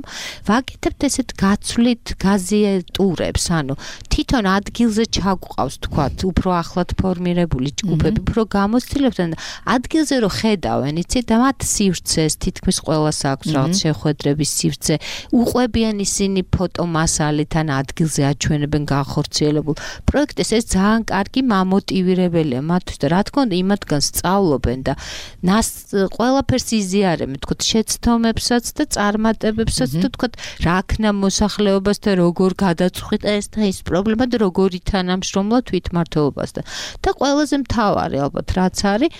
ვაკეთებთ ესეთ გაცვლით გაზიეტურებს, ანუ თვითონ ადგილზე ჩაგვყავს, თქვათ, უფრო ახლად ფორმირებული ჯგუფები, უფრო გამოცდილებთან და ადგილზე რო ხედავენ, იცით, და მათ სივრცეს, თითქმის ყველას აქვს რაღაც შეხვედრების სივრცე, უყვებიან ისინი ფოტომასალით ან ადგილზე აჩვენებენ განხორციელებულ პროექტებს, ეს ძალიან კარგი მამოტივირებელია მათთვის და რა თქმა უნდა იმათგან სწავლობენ და ყველაფერს იზიარებენ, თქვათ, შეცდომებსაც და წარმატებებსაც და თქვათ, რა ქნა მოსახლეობას და როგორ გადაწყვიტა ეს და ის პრობლემა და როგორი თანამშრომლა თვითმმართველობასთან. და ყველაზე მთავარი ალბათ რაც არის,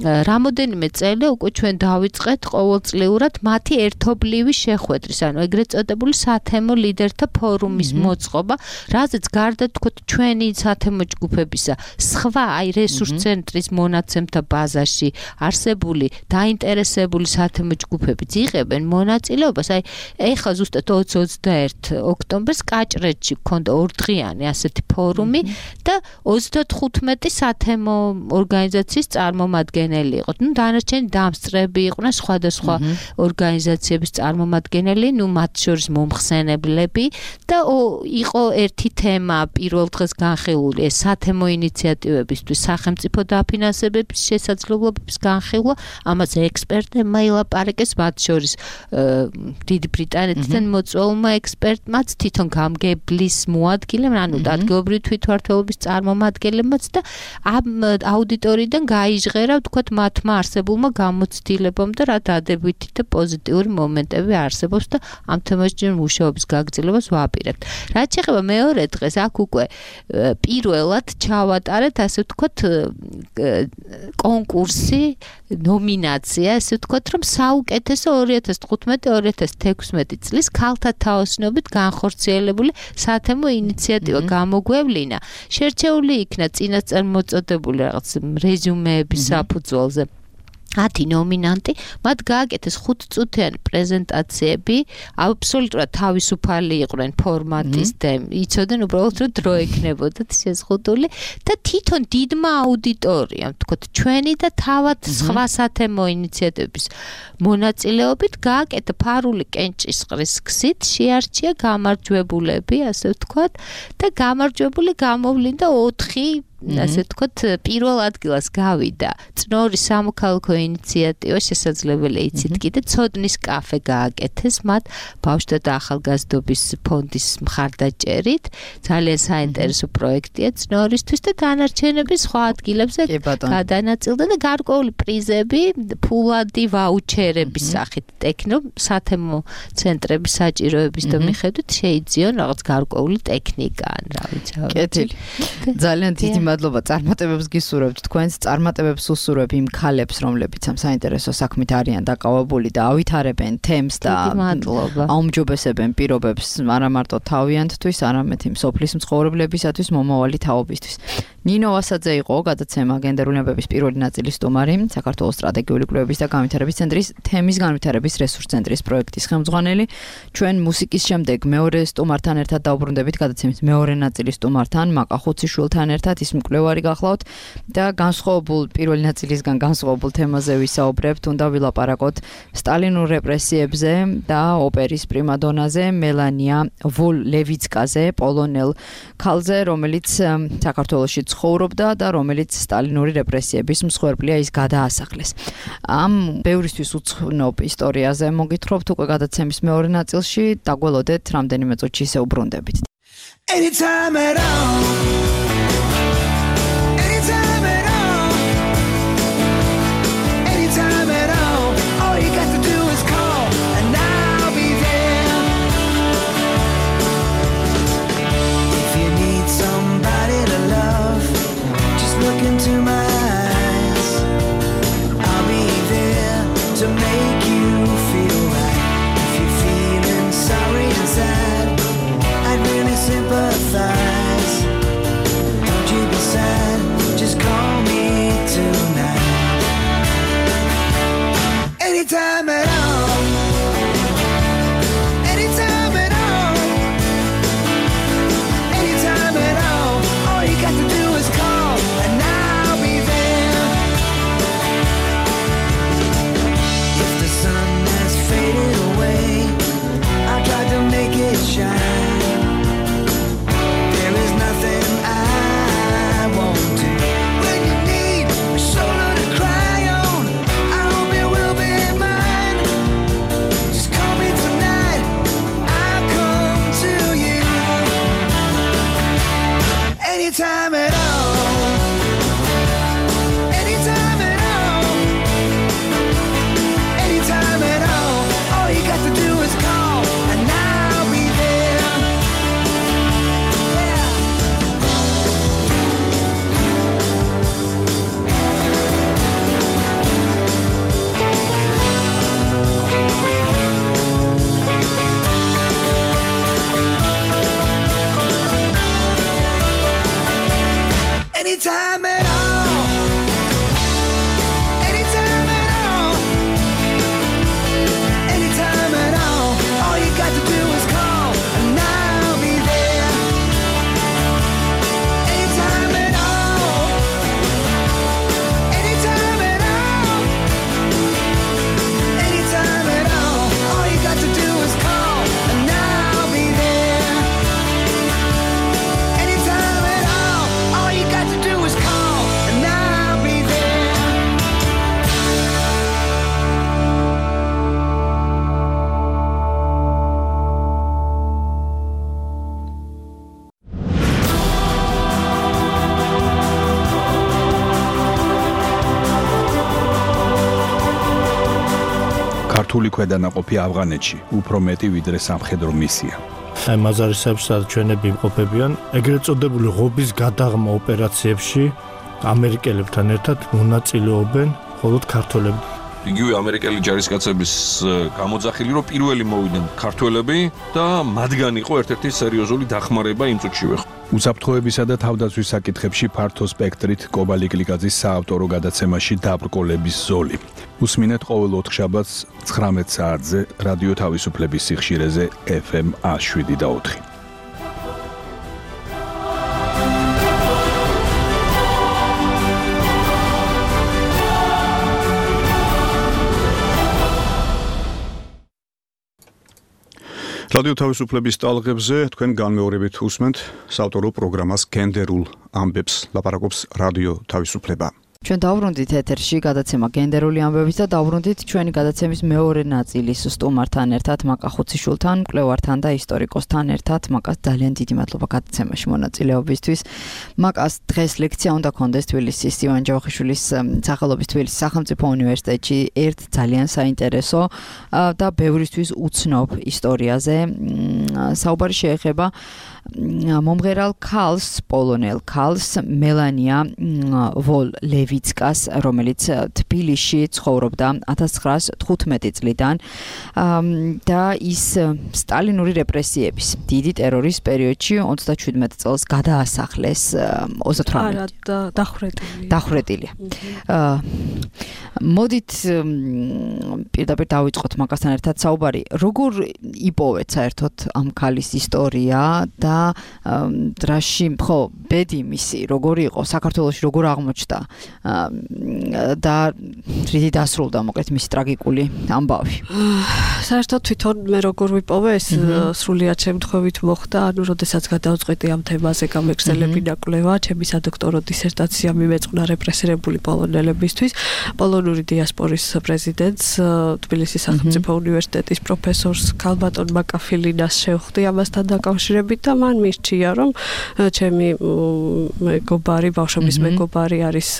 რამოდენიმე წელი უკვე ჩვენ დავიწყეთ ყოველწლიურად მათი ერთობლივი შეხვედრის, ანუ ეგრეთ წოდებული სათემო ლიდერთა ფორუმის მოწყობა, რაზეც გარდა თქვათ ჩვენი სათემო ჯგუფებისა, სხვა აი რესურს ცენტრის მონაცემთა ბაზაში არსებული დაინტერესებული სათემო ჯგუფებიც იღებენ მონაწილეობას. აი ეხლა ზუსტად 20-21 ოქტომბერს კაჭრეთში გქონდა ორდღიანი ასეთი ფორუმი და 35 სათემო ორგანიზაციის წარმომადგენელი იყო. ნუ დანარჩენი დამსწრები იყვნენ სხვადასხვა ორგანიზაციების წარმომადგენელი, ნუ მათ შორის მომხსენებლები და იყო ერთი თემა პირველ დღეს განხილული, ეს სათემო ინიციატივებისთვის სახელმწიფო დაფინანსებების შესაძლებლობების განხილვა, ამაზე ექსპერტებმა ილაპარაკეს, მათ შორის დიდი ბრიტანეთიდან მოწვეულმა ექსპერტმაც, თვითონ გამგებლის მოადგილემ, ანუ ადგილობრივი თვითმმართველობის წარმომადგენლებმაც და ამ აუდიტორიიდან გაიჟღერა, თქვათ, მათმა არსებულმა გამოცდილებამ და რა დადებითი და პოზიტიური მომენტები არსებობს და ამ თემაში მუშაობის გაგრძელებას ვაპირებთ. რაც შეეხება მეორე დღეს, აქ უკვე პირველად ჩავატარეთ, ასე ვთქვათ, კონკურსი, ნომინაცია, ასე ვთქვათ, რომ საუკეთესო 2015-2016 წლის ქალთა თაოსნობით განხორციელებული სათემო ინიციატივა გამოგვევლინა. შერჩეული იქნა წინასწარ მოწოდებული რაღაც რეზიუმეების საფუძველზე 10 ნომინანტი, მათ გააკეთეს 5-წუთიანი პრეზენტაციები, აბსოლუტურად თავისუფალი იყვნენ ფორმატის და იცოდნენ უბრალოდ რომ დრო ექნებოდათ შეზღუდული და თვითონ დიდმა აუდიტორიამ, თქვათ, ჩვენი და თავად სხვა სათემო ინიციატივების მონაწილეობით გააკეთა ფარული კენჭისყრის გზით, შეარჩია გამარჯვებულები, ასე ვთქვათ, და გამარჯვებული გამოვლინდა 4 ასე ვთქვათ, პირველ ადგილას გავიდა წნორი სამოქალაქო ინიციატივა, შესაძლებელია იცით კიდე, ცოდნის კაფე გააკეთეს მათ ბავშვთა და ახალგაზრდობის ფონდის მხარდაჭერით, ძალიან საინტერესო პროექტია წნორისთვის და დანარჩენები სხვა ადგილებზე გადანაწილდა და გარკვეული პრიზები, ფულადი ვაუჩერების სახით ტექნო სათემო ცენტრების საჭიროების და მიხედვით შეიძიონ რაღაც გარკვეული ტექნიკა, ან რა ვიცი. კეთილი. ძალიან დიდი მადლობა, წარმატებებს გისურვებთ თქვენს, წარმატებებს უსურვებ იმ ქალებს, რომლებიც ამ საინტერესო საქმით არიან დაკავებული და ავითარებენ თემს და აუმჯობესებენ პირობებს არა მარტო თავიანთთვის, არამედ იმ სოფლის მცხოვრებლებისათვის, მომავალი თაობისთვის. ნინო ვასაძე იყო გადაცემა გენდერული ამბების პირველი ნაწილის სტუმარი, საქართველოს სტრატეგიული კვლევების და განვითარების ცენტრის თემის განვითარების რესურს ცენტრის პროექტის ხელმძღვანელი. ჩვენ მუსიკის შემდეგ მეორე სტუმართან ერთად დავუბრუნდებით გადაცემის მეორე ნაწილის სტუმართან, მაკა ხუციშვილთან ერთად, ის მკვლევარი გახლავთ და განსხვავებულ პირველი ნაწილისგან განსხვავებულ თემაზე ვისაუბრებთ, უნდა ვილაპარაკოთ სტალინურ რეპრესიებზე და ოპერის პრიმადონაზე, მელანია ვოლ-ლევიცკაზე, პოლონელ ქალზე, რომელიც საქართველოში ცხოვრობდა და რომელიც სტალინური რეპრესიების მსხვერპლია, ის გადაასახლეს. ამ ბევრისთვის უცნობ ისტორიაზე მოგითხრობთ უკვე გადაცემის მეორე ნაწილში, დაგველოდეთ რამდენიმე წუთში ისე უბრუნდებით. Anytime at all. Anytime at all. Anytime at all. All you got to do is call and I'll be there. If you need somebody to love, just look into my eyes. I'll be there to make you feel right. If you're feeling sorry and sad, I'd really sympathize. Don't you be sad, just call me tonight. Anytime at all. Anytime at all. Anytime at all. All you got to do is call and I'll be there. If the sun has faded away, I'll try to make it shine. There is nothing I won't do. When you need a shoulder to cry on, I hope it will be mine. Just call me tonight, I'll come to you. Anytime at all. Anytime at all. Anytime at all. All you got to do is call and I'll be there. Yeah. Anytime at all. Anytime at all. Anytime at all. All you got to do is call and I'll be there. Anytime at all. Anytime at all. Anytime at all. All you got to do is call and I'll be there. Anytime at all. All you got to do is call and I'll be there. ქართული ქვედანაყოფი ავღანეთში უფრო მეტი ვიდრე სამხედრო მისია. აი მაზარისებში სადაც ჩვენები იმყოფებიან, ეგრეთ წოდებული ღობის გადაღმა ოპერაციებში ამერიკელებთან ერთად მონაწილეობენ მხოლოდ ქართველები. იგივე ამერიკელი ჯარისკაცების გამოძახილი, რომ პირველი მოვიდნენ ქართველები და მათგან იყო ერთ-ერთი სერიოზული დახმარება იმ წუთშივე. უსაფრთხოებისა და თავდაცვის საკითხებში ფართო სპექტრით კობალი კლიკაძის საავტორო გადაცემაში დაბრკოლების ზოლი. უსმინეთ ყოველ ოთხშაბათს 19 საათზე რადიო თავისუფლების სიხშირეზე FM 107.4. რადიო თავისუფლების ტალღებზე თქვენ განმეორებით უსმენთ საავტორო პროგრამას გენდერულ ამბებს, ლაპარაკობს რადიო თავისუფლება. ჩვენ დავბრუნდით ეთერში გადაცემა გენდერული ამბების და დავბრუნდით ჩვენი გადაცემის მეორე ნაწილის სტუმართან ერთად, მაკა ხუციშვილთან, მკვლევართან და ისტორიკოსთან ერთად. მაკას ძალიან დიდი მადლობა გადაცემაში მონაწილეობისთვის. მაკას დღეს ლექცია უნდა კონდეს თბილისის ივან ჯავახიშვილის სახელობის თბილისის სახელმწიფო უნივერსიტეტში ერთ ძალიან საინტერესო და ბევრისთვის უცნობ ისტორიაზე. საუბარი შეეხება მომღერალ ქალს, პოლონელ ქალს მელანია ვოლ-ლევიცკას, რომელიც თბილისში ცხოვრობდა 1915 წლიდან და ის სტალინური რეპრესიების დიდი ტერორის პერიოდში 37 წელს გადაასახლეს 38 დახვრეტილია. მოდით პირდაპირ დავიწყოთ მაგასთან ერთად საუბარი. როგორ იპოვეთ საერთოდ ამ ქალის ისტორია და დრაში ხო ბედი მისი როგორი იყო საქართველოში როგორ აღმოჩნდა და რითი დასრულდა მოკლედ მისი ტრაგიკული ამბავი. საერთოდ თვითონ მე როგორ ვიპოვე ეს სრულიად შემთხვევით მოხდა, ანუ როდესაც გადავწყვეტი ამ თემაზე გამეგრძელებინა კვლევა, ჩემი სადოქტორო დისერტაცია მიმეწყნა რეპრესირებული პოლონელებისთვის, პოლონური დიასპორის პრეზიდენტს, თბილისის სახელმწიფო უნივერსიტეტის პროფესორს ქალბატონ მაკაფილინას შევხვდი ამასთან დაკავშირებით და მან მირჩია, რომ ჩემი მეგობარი, ბავშვობის მეგობარი არის,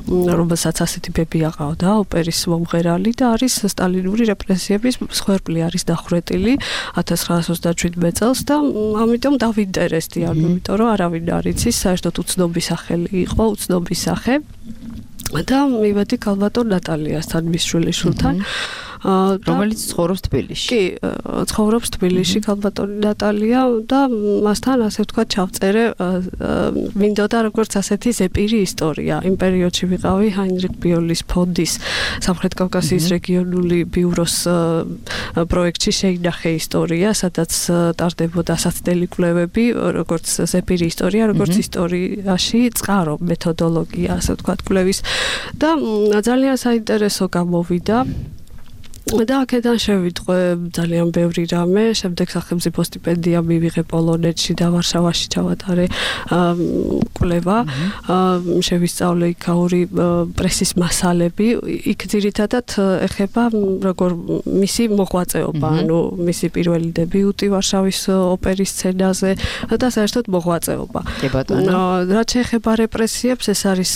რომელსაც ასეთი ბები აყავდა, ოპერის მომღერალი და არის სტალინური რეპრესიების მსხვერპლი, არის დახვრეტილი 1927 წელს და ამიტომ დავინტერესდი, იმიტომ რომ არავინ არ იცის, საერთოდ უცნობი სახელი იყო, უცნობი სახე და მივედი ქალბატონ ნატალიასთან, მის შვილიშვილთან. რომელიც ცხოვრობს თბილისში. კი, ცხოვრობს თბილისში ქალბატონი ნატალია და მასთან ასე ვთქვათ ჩავწერე მინდოდა როგორც ასეთი ზეპირი ისტორია. იმ პერიოდში ვიყავი ჰაინრიხ ბიოლის ფონდის სამხრეთ კავკასიის რეგიონული ბიუროს პროექტში შეინახე ისტორია, სადაც ტარდებოდა საცდელი კვლევები, როგორც ზეპირი ისტორია, როგორც ისტორიაში წყარო მეთოდოლოგია, ასე ვთქვათ, კვლევის და ძალიან საინტერესო გამოვიდა. და აქედან შევიტყვე ძალიან ბევრი რამე, შემდეგ სახელმწიფო სტიპენდია მივიღე პოლონეთში და ვარშავაში ჩავატარე კვლევა, შევისწავლე იქაური პრესის მასალები, იქ ძირითადად ეხება როგორ მისი მოღვაწეობა, ანუ მისი პირველი დებიუტი ვარშავის ოპერის სცენაზე და საერთოდ მოღვაწეობა. რაც შეეხება რეპრესიებს, ეს არის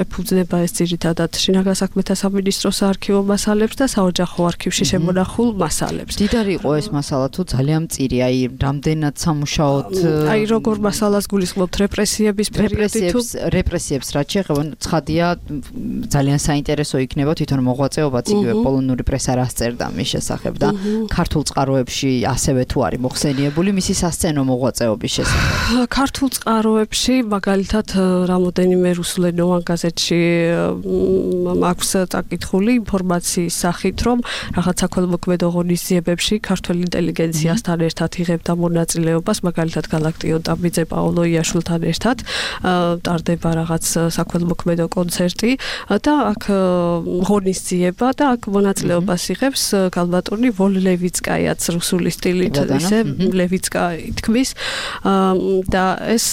ეფუძნება ეს ძირითადად შინაგან საქმეთა სამინისტროს საარქივო მასალებს და საოჯახო არქივში შემონახულ მასალებს. დიდარი იყო ეს მასალა თუ ძალიან მწირი, აი რამდენად სამუშაოდ აი როგორ მასალას გულისხმობთ რეპრესიების პერიოდი თუ რეპრესიებს რაც შეეხება, ცხადია ძალიან საინტერესო იქნება თვითონ მოღვაწეობაც იგივე პოლონური პრესა რას წერდა მის შესახებ და ქართულ წყაროებში ასევე თუ არის მოხსენიებული მისი სასცენო მოღვაწეობის შესახებ. ქართულ წყაროებში მაგალითად რამოდენიმე რუსულენოვან გაზეთში აქვს წაკითხული ინფორმაციის სახით, რომ რაღაც საქველმოქმედო ღონისძიებებში ქართული ინტელიგენციასთან ერთად იღებდა მონაწილეობას, მაგალითად გალაქტიონ ტაბიძე, პაოლო იაშვილთან ერთად ტარდება რაღაც საქველმოქმედო კონცერტი და აქ ღონისძიება და აქ მონაწილეობას იღებს ქალბატონი ვოლ-ლევიცკაიაც რუსული სტილით ისე ლევიცკა ითქმის და ეს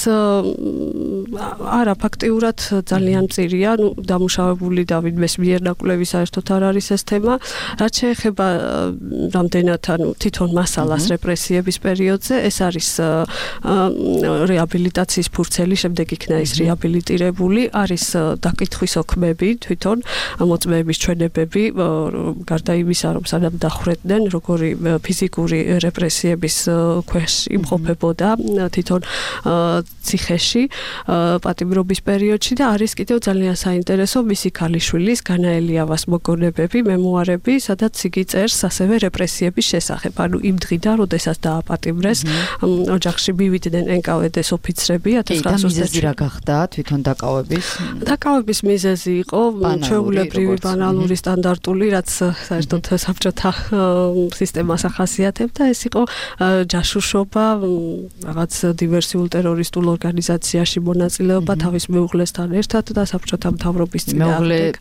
არა ფაქტიურად ძალიან მწირია, ნუ დამუშავებული და ვინმეს მიერ ნაკვლევი საერთოდ არ არის ეს თემა. რაც შეეხება რამდენად ანუ თვითონ მასალას რეპრესიების პერიოდზე, ეს არის რეაბილიტაციის ფურცელი, შემდეგ იქნა ის რეაბილიტირებული, არის დაკითხვის ოქმები, თვითონ მოწმეების ჩვენებები, გარდა იმისა, რომ სანამ დახვრეტდნენ, როგორი ფიზიკური რეპრესიების ქვეშ იმყოფებოდა თვითონ ციხეში პატიმრობის პერიოდში და არის კიდევ ძალიან საინტერესო მისი ქალიშვილის განა ელიავას მოგონებები, მემუარები, სადაც იგი წერს ასევე რეპრესიების შესახებ. ანუ იმ დღიდან, როდესაც დააპატიმრეს, ოჯახში მივიდნენ NKVD-ს ოფიცრები 1920 მიზეზი რა გახდა თვითონ დაკავების? დაკავების მიზეზი იყო ჩვეულებრივი ბანალური სტანდარტული, რაც საერთოდ საბჭოთა სისტემას ახასიათებდა, ეს იყო ჯაშუშობა, რაღაც დივერსიულ ტერორისტულ ორგანიზაციაში მონაწილეობა თავის მეუღლესთან ერთად და საბჭოთა მთავრობის წინააღმდეგ.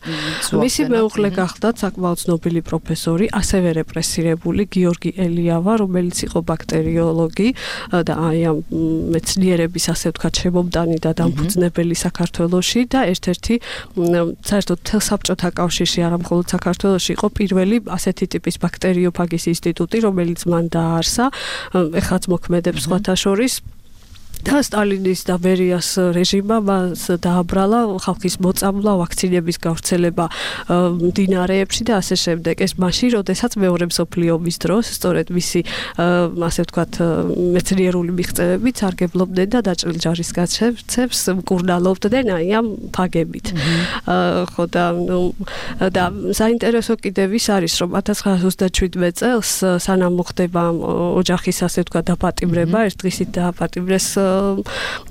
მისი მეუღლე გახდა საკმაოდ ცნობილი პროფესორი, ასევე რეპრესირებული გიორგი ელიავა, რომელიც იყო ბაქტერიოლოგი და აი ამ მეცნიერების ასე ვთქვათ შემომტანი და დამფუძნებელი საქართველოში და ერთ-ერთი საერთოდ საბჭოთა კავშირში, არა მხოლოდ საქართველოში იყო პირველი ასეთი ტიპის ბაქტერიოფაგის ინსტიტუტი, რომელიც მან დააარსა, ეხლაც მოქმედებს სხვათა შორის. და სტალინის და ბერიას რეჟიმმა მას დააბრალა ხალხის მოწამვლა, ვაქცინების გავრცელება მდინარეებში და ასე შემდეგ. ეს მაშინ, როდესაც მეორე მსოფლიო ომის დროს, სწორედ მისი ასე ვთქვათ, მეცნიერული მიღწევებით სარგებლობდნენ და დაჭრილ ჯარისკაცებს მკურნალობდნენ აი ამ ფაგებით. ხო და საინტერესო კიდევ ის არის, რომ 1927 წელს სანამ მოხდება ოჯახის ასე ვთქვათ დაპატიმრება, ერთ დღისით დააპატიმრეს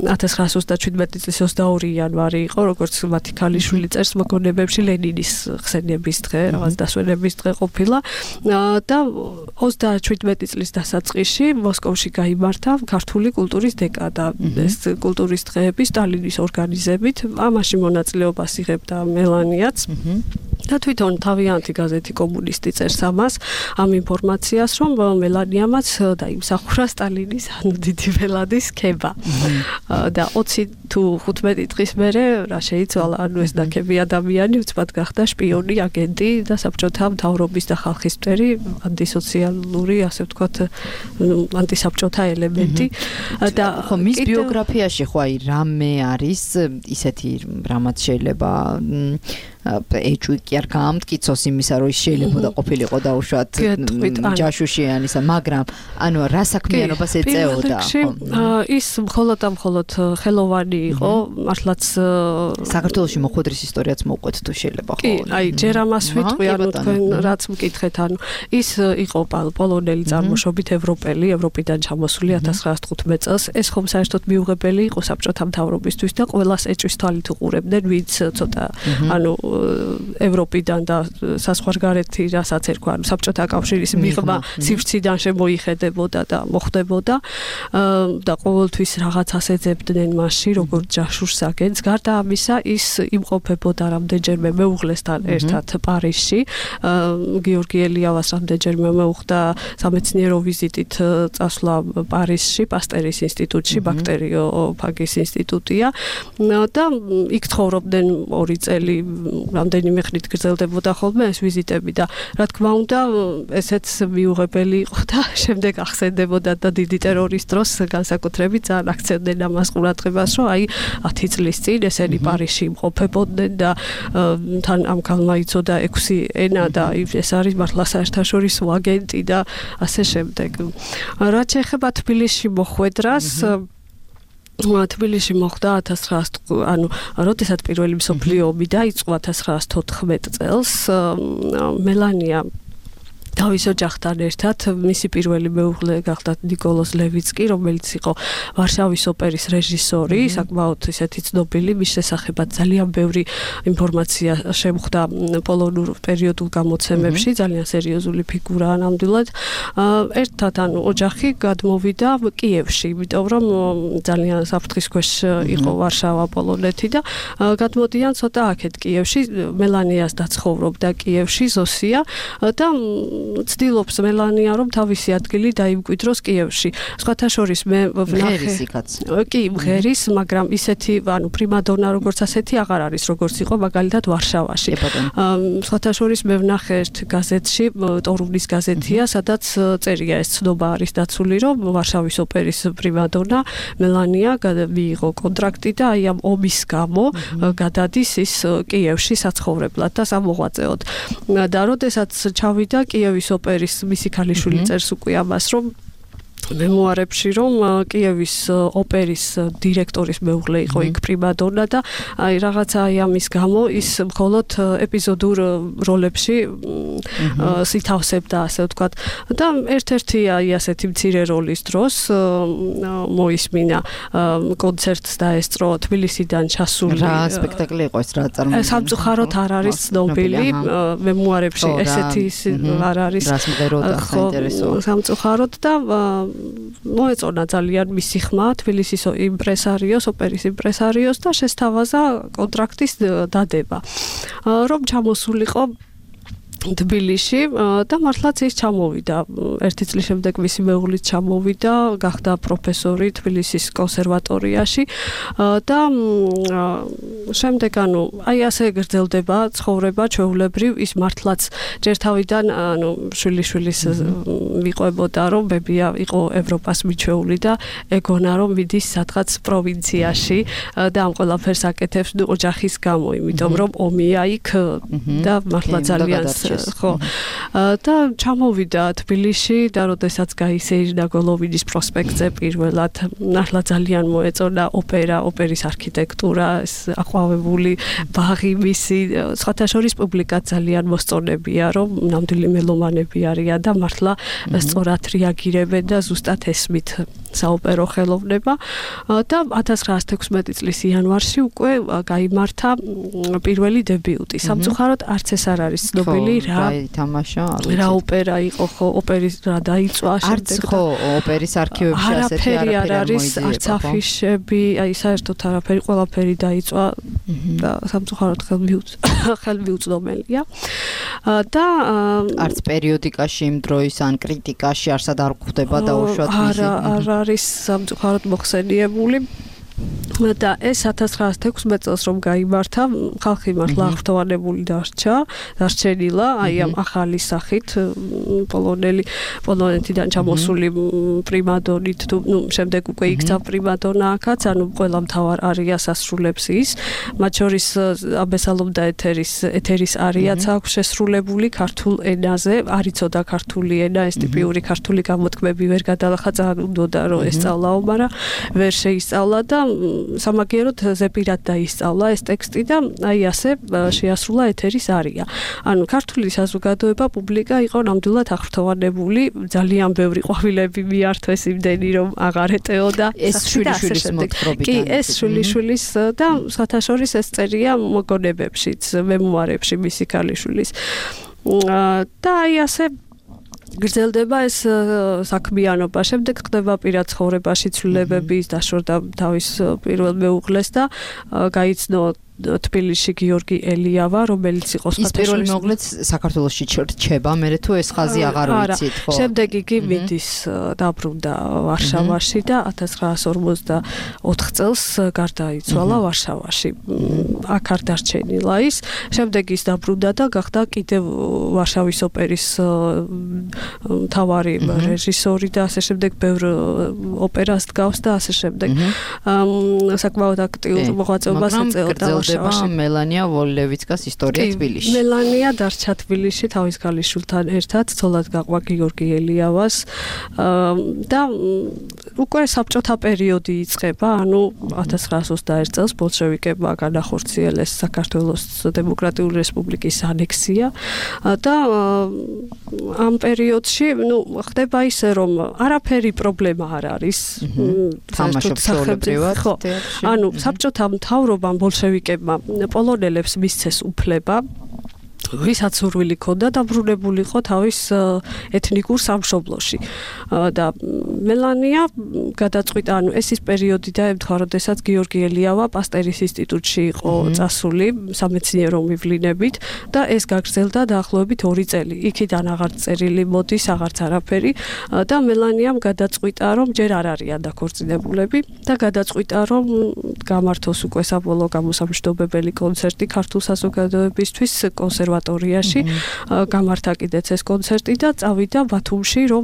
1927 წლის 22 იანვარი იყო, როგორც მათი ქალიშვილი წერს მოგონებებში ლენინის ხსენების დღე, რაღაც დასვენების დღე ყოფილა და 37 წლის დასაწყისში მოსკოვში გაიმართა ქართული კულტურის დეკადა. ეს კულტურის დღეები სტალინის ორგანიზებით, ამაში მონაწილეობას იღებდა მელანიაც. და თვითონ თავიანთი გაზეთი კომუნისტი წერს ამას, ამ ინფორმაციას, რომ მელანიამაც დაიმსახურა სტალინის ანუ დიდი ველადის ქება. და 20 თუ 15 დღის მერე რა შეიცვალა, ანუ ეს ნაკები ადამიანი უცბად გახდა შპიონი, აგენტი და საბჭოთა მთავრობის და ხალხის მტერი, ანტისოციალური, ასე ვთქვათ, ანტისაბჭოთა ელემენტი. და ხო მის ბიოგრაფიაში ხო აი რამე არის ისეთი რამაც შეიძლება ეჭვი კი არ გაამტკიცოს იმისა, რომ ის შეიძლება ყოფილიყო დაუშვათ ჯაშუშიანისა, მაგრამ ანუ რა საქმიანობას ეწეოდა? ის მხოლოდ ხელოვანი იყო, მართლაც საქართველოში მოხვედრის ისტორიაც მოუყვეთ თუ შეიძლება ხო? კი, აი ჯერ ამას ვიტყვი, ანუ თქვენ რაც მკითხეთ, ანუ ის იყო პოლონელი წარმოშობით ევროპელი, ევროპიდან ჩამოსული 1915 წელს. ეს ხომ საერთოდ მიუღებელი იყო საბჭოთა მთავრობისთვის და ყველას ეჭვის თვალით უყურებდნენ, ვინც ცოტა ანუ ევროპიდან და საზღვარგარეთი რასაც ერქვა, ანუ საბჭოთა კავშირის მიღმა სივრციდან შემოიხედებოდა და მოხდებოდა და ყოველთვის რაღაცას ეძებდნენ მასში, როგორც ჯაშუშს აგენტს. გარდა ამისა, ის იმყოფებოდა რამდენჯერმე მეუღლესთან ერთად პარიზში. გიორგი ელიავას რამდენჯერმე მეუხდა სამეცნიერო ვიზიტით წასვლა პარიზში, პასტერის ინსტიტუტში, ბაქტერიოფაგის ინსტიტუტია და იქ ცხოვრობდნენ 2 წელი, რამდენიმე ხნით გრძელდებოდა ხოლმე ეს ვიზიტები და რა თქმა უნდა, ესეც მიუღებელი იყო და შემდეგ ახსენდებოდა და დიდი ტერორის დროს განსაკუთრებით ძალიან აქცენტდნენ ამას ყურადღებას, რომ აი 10 წლის წინ ესენი პარიზში იმყოფებოდნენ და თან ამ ქალმა იცოდა 6 ენა და ეს არის მართლა საერთაშორისო აგენტი და ასე შემდეგ. რაც ეხება თბილისში მოხვედრას, თბილისში მოხდა 1900 ანუ როდესაც პირველი მსოფლიო ომი დაიწყო 1914 წელს მელანია თავის ოჯახთან ერთად მისი პირველი მეუღლე გახდა ნიკოლოზ ლევიცკი, რომელიც იყო ვარშავის ოპერის რეჟისორი, საკმაოდ ისეთი ცნობილი, მის შესახებაც ძალიან ბევრი ინფორმაცია შემხვდა პოლონურ პერიოდულ გამოცემებში, ძალიან სერიოზული ფიგურაა ნამდვილად. ერთად ანუ ოჯახი გადმოვიდა კიევში, იმიტომ რომ ძალიან საფრთხის ქვეშ იყო ვარშავა, პოლონეთი და გადმოდიან ცოტა აქეთ კიევში, მელანიას დაცხოვრობდა კიევში, ზოსია და ცდილობს მელანია, რომ თავისი ადგილი დაიმკვიდროს კიევში. სხვათა შორის მე ვნახე კი, მღერის, მაგრამ ისეთი, ანუ პრიმადონა როგორც ასეთი აღარ არის, როგორც იყო მაგალითად ვარშავაში. სხვათა შორის მე ვნახე ერთ გაზეთში, ტორუნის გაზეთია, სადაც წერია ეს ცნობა არის დაცული, რომ ვარშავის ოპერის პრიმადონა მელანია მიიღო კონტრაქტი და აი ამ ომის გამო გადადის ის კიევში საცხოვრებლად და სამოღვაწეოდ. და როდესაც ჩავიდა კიევის ოპერის მისი ქალიშვილი წერს უკვე ამას, რომ მემუარებში, რომ კიევის ოპერის დირექტორის მეუღლე იყო იქ პრიმადონა და აი რაღაცა აი ამის გამო ის მხოლოდ ეპიზოდურ როლებში სითავსებდა, ასე ვთქვათ. და ერთ-ერთი აი ასეთი მცირე როლის დროს მოისმინა კონცერტს დაესწრო თბილისიდან ჩასული. რა სპექტაკლი იყო ეს, რა წარმოდგენილი? სამწუხაროდ არ არის ცნობილი მემუარებში, ესეთი არ არის. რას მღეროდა, საინტერესოა. სამწუხაროდ და მოეწონა ძალიან მისი ხმა თბილისის იმპრესარიოს, ოპერის იმპრესარიოს და შესთავაზა კონტრაქტის დადება. რომ ჩამოსულიყო თბილისში და მართლაც ის ჩამოვიდა. ერთი წლის შემდეგ მისი მეუღლით ჩამოვიდა, გახდა პროფესორი თბილისის კონსერვატორიაში და შემდეგ აი ასე გრძელდება ცხოვრება ჩვეულებრივ ის მართლაც ჯერ თავიდან შვილიშვილის მიყვებოდა რომ ბებია იყო ევროპას მიჩვეული და ეგონა რომ მიდის სადღაც პროვინციაში და ამ ყველაფერს აკეთებს ოჯახის გამო, იმიტომ რომ ომია იქ და მართლა ძალიან ხო და ჩამოვიდა თბილისში და როდესაც გაისეირდა გოლოვინის პროსპექტზე პირველად მართლა ძალიან მოეწონა ოპერის არქიტექტურა, ეს აყვავებული ბაღი მისი, სხვათა შორის პუბლიკა ძალიან მოსწონებია, რომ ნამდვილი მელომანები არიან და მართლა სწორად რეაგირებენ და ზუსტად ესმით საოპერო ხელოვნება და 1916 წლის იანვარში უკვე გაიმართა პირველი დებიუტი. სამწუხაროდ არც ეს არ არის ცნობილი რა ოპერა იყო, ხო, ოპერის რა დაიწვა შემდეგ. არც ხო ოპერის არქივებში ასეთი არაფერი არ არის, არც აფიშები, აი საერთოდ არაფერი, ყველაფერი დაიწვა და სამწუხაროდ ხელმიუწვდომელია. და არც პერიოდიკაში იმ დროის ან კრიტიკაში არსად არ გვხვდება დაუშვათ მისი. არ არის სამწუხაროდ მოხსენიებული. და ეს 1916 წელს რომ გაიმართა, ხალხი მართლა აღფრთოვანებული დარჩენილა, აი ამ ახალი სახით პოლონეთიდან ჩამოსული პრიმადონით, შემდეგ უკვე იქცა პრიმადონა აქაც, ყველა მთავარ არიას ასრულებს ის, მათ შორის აბესალომ და ეთერის არიაც აქვს შესრულებული ქართულ ენაზე, არ იცოდა ქართული ენა, ეს ტიპიური ქართული გამოთქმები ვერ გადალახაცა, უნდოდა რომ ესწავლაო, მაგრამ ვერ შეისწავლა და სამაგიეროდ ზეპირად დაისწავლა ეს ტექსტი და აი ასე შეასრულა ეთერის არია. ქართული საზოგადოება პუბლიკა იყო ნამდვილად აღფრთოვანებული, ძალიან ბევრი ყვავილები მიართვეს იმდენი რომ აღარ ეტეოდა ეს შვილიშვილის მოთხრობიდან. კი, ეს შვილიშვილის და სხვათა შორის ეს წერია მოგონებებშიც, მემუარებში მისი ქალიშვილის. და აი ასე გრძელდება ეს საქმიანობა. შემდეგ ხდება პირად ცხოვრებაში ცვლილებების, დაშორდა თავის პირველ მეუღლეს და გაიცნო თბილისში გიორგი ელიავა, რომელიც იყო ის პირველი მეუღლეც საქართველოში რჩება, მერე თუ ეს ხაზი აღარ ვიცით, ხო? შემდეგ იგი მიდის დაბრუნდა ვარშავაში და 1954 წელს გარდაიცვალა ვარშავაში. აქ არ დარჩენილა ის. შემდეგ ის დაბრუნდა და გახდა კიდევ ვარშავის ოპერის მთავარი რეჟისორი და ასე შემდეგ ბევრ ოპერას დგავს და ასე შემდეგ. საკმაოდ აქტიურ მოღვაწეობას ეწეოდა. მელანია ვოლლევიცკას ისტორია თბილისში. მელანია დარჩა თბილისში თავის ქალიშვილთან ერთად, ცოლად გაყვა გიორგი ელიავას და უკვე საბჭოთა პერიოდი იწყება, 1921 წელს ბოლშევიკებმა განახორციელეს საქართველოს დემოკრატიული რესპუბლიკის ანექსია და ამ პერიოდში, ხდება ისე, რომ არაფერი პრობლემა არ არის. თამაშობს ჩვეულებრივად. საბჭოთა მთავრობამ ბოლშევიკებმა პოლონელებს მისცეს უფლება, ვისაც სურვილი ჰქონდა დაბრუნებულიყო თავის ეთნიკურ სამშობლოში. და მელანია გადაწყვიტა, ეს ის პერიოდი დაემთხვა, როდესაც გიორგი ელიავა პასტერის ინსტიტუტში იყო წასული სამეცნიერო მივლინებით და ეს გაგრძელდა დაახლოებით 2 წელი. იქიდან აღარ წერილი მოდის, აღარც არაფერი და მელანიამ გადაწყვიტა, რომ ჯერ არ არიან დაქორწინებულები და გადაწყვიტა, რომ გამართოს უკვე საბოლოო გამოსამჯდობებელი კონცერტი ქართულ საზოგადოებისთვის კონსერვატორიაში. გამართა კიდეც ეს კონცერტი და წავიდა ბათუმში, რომ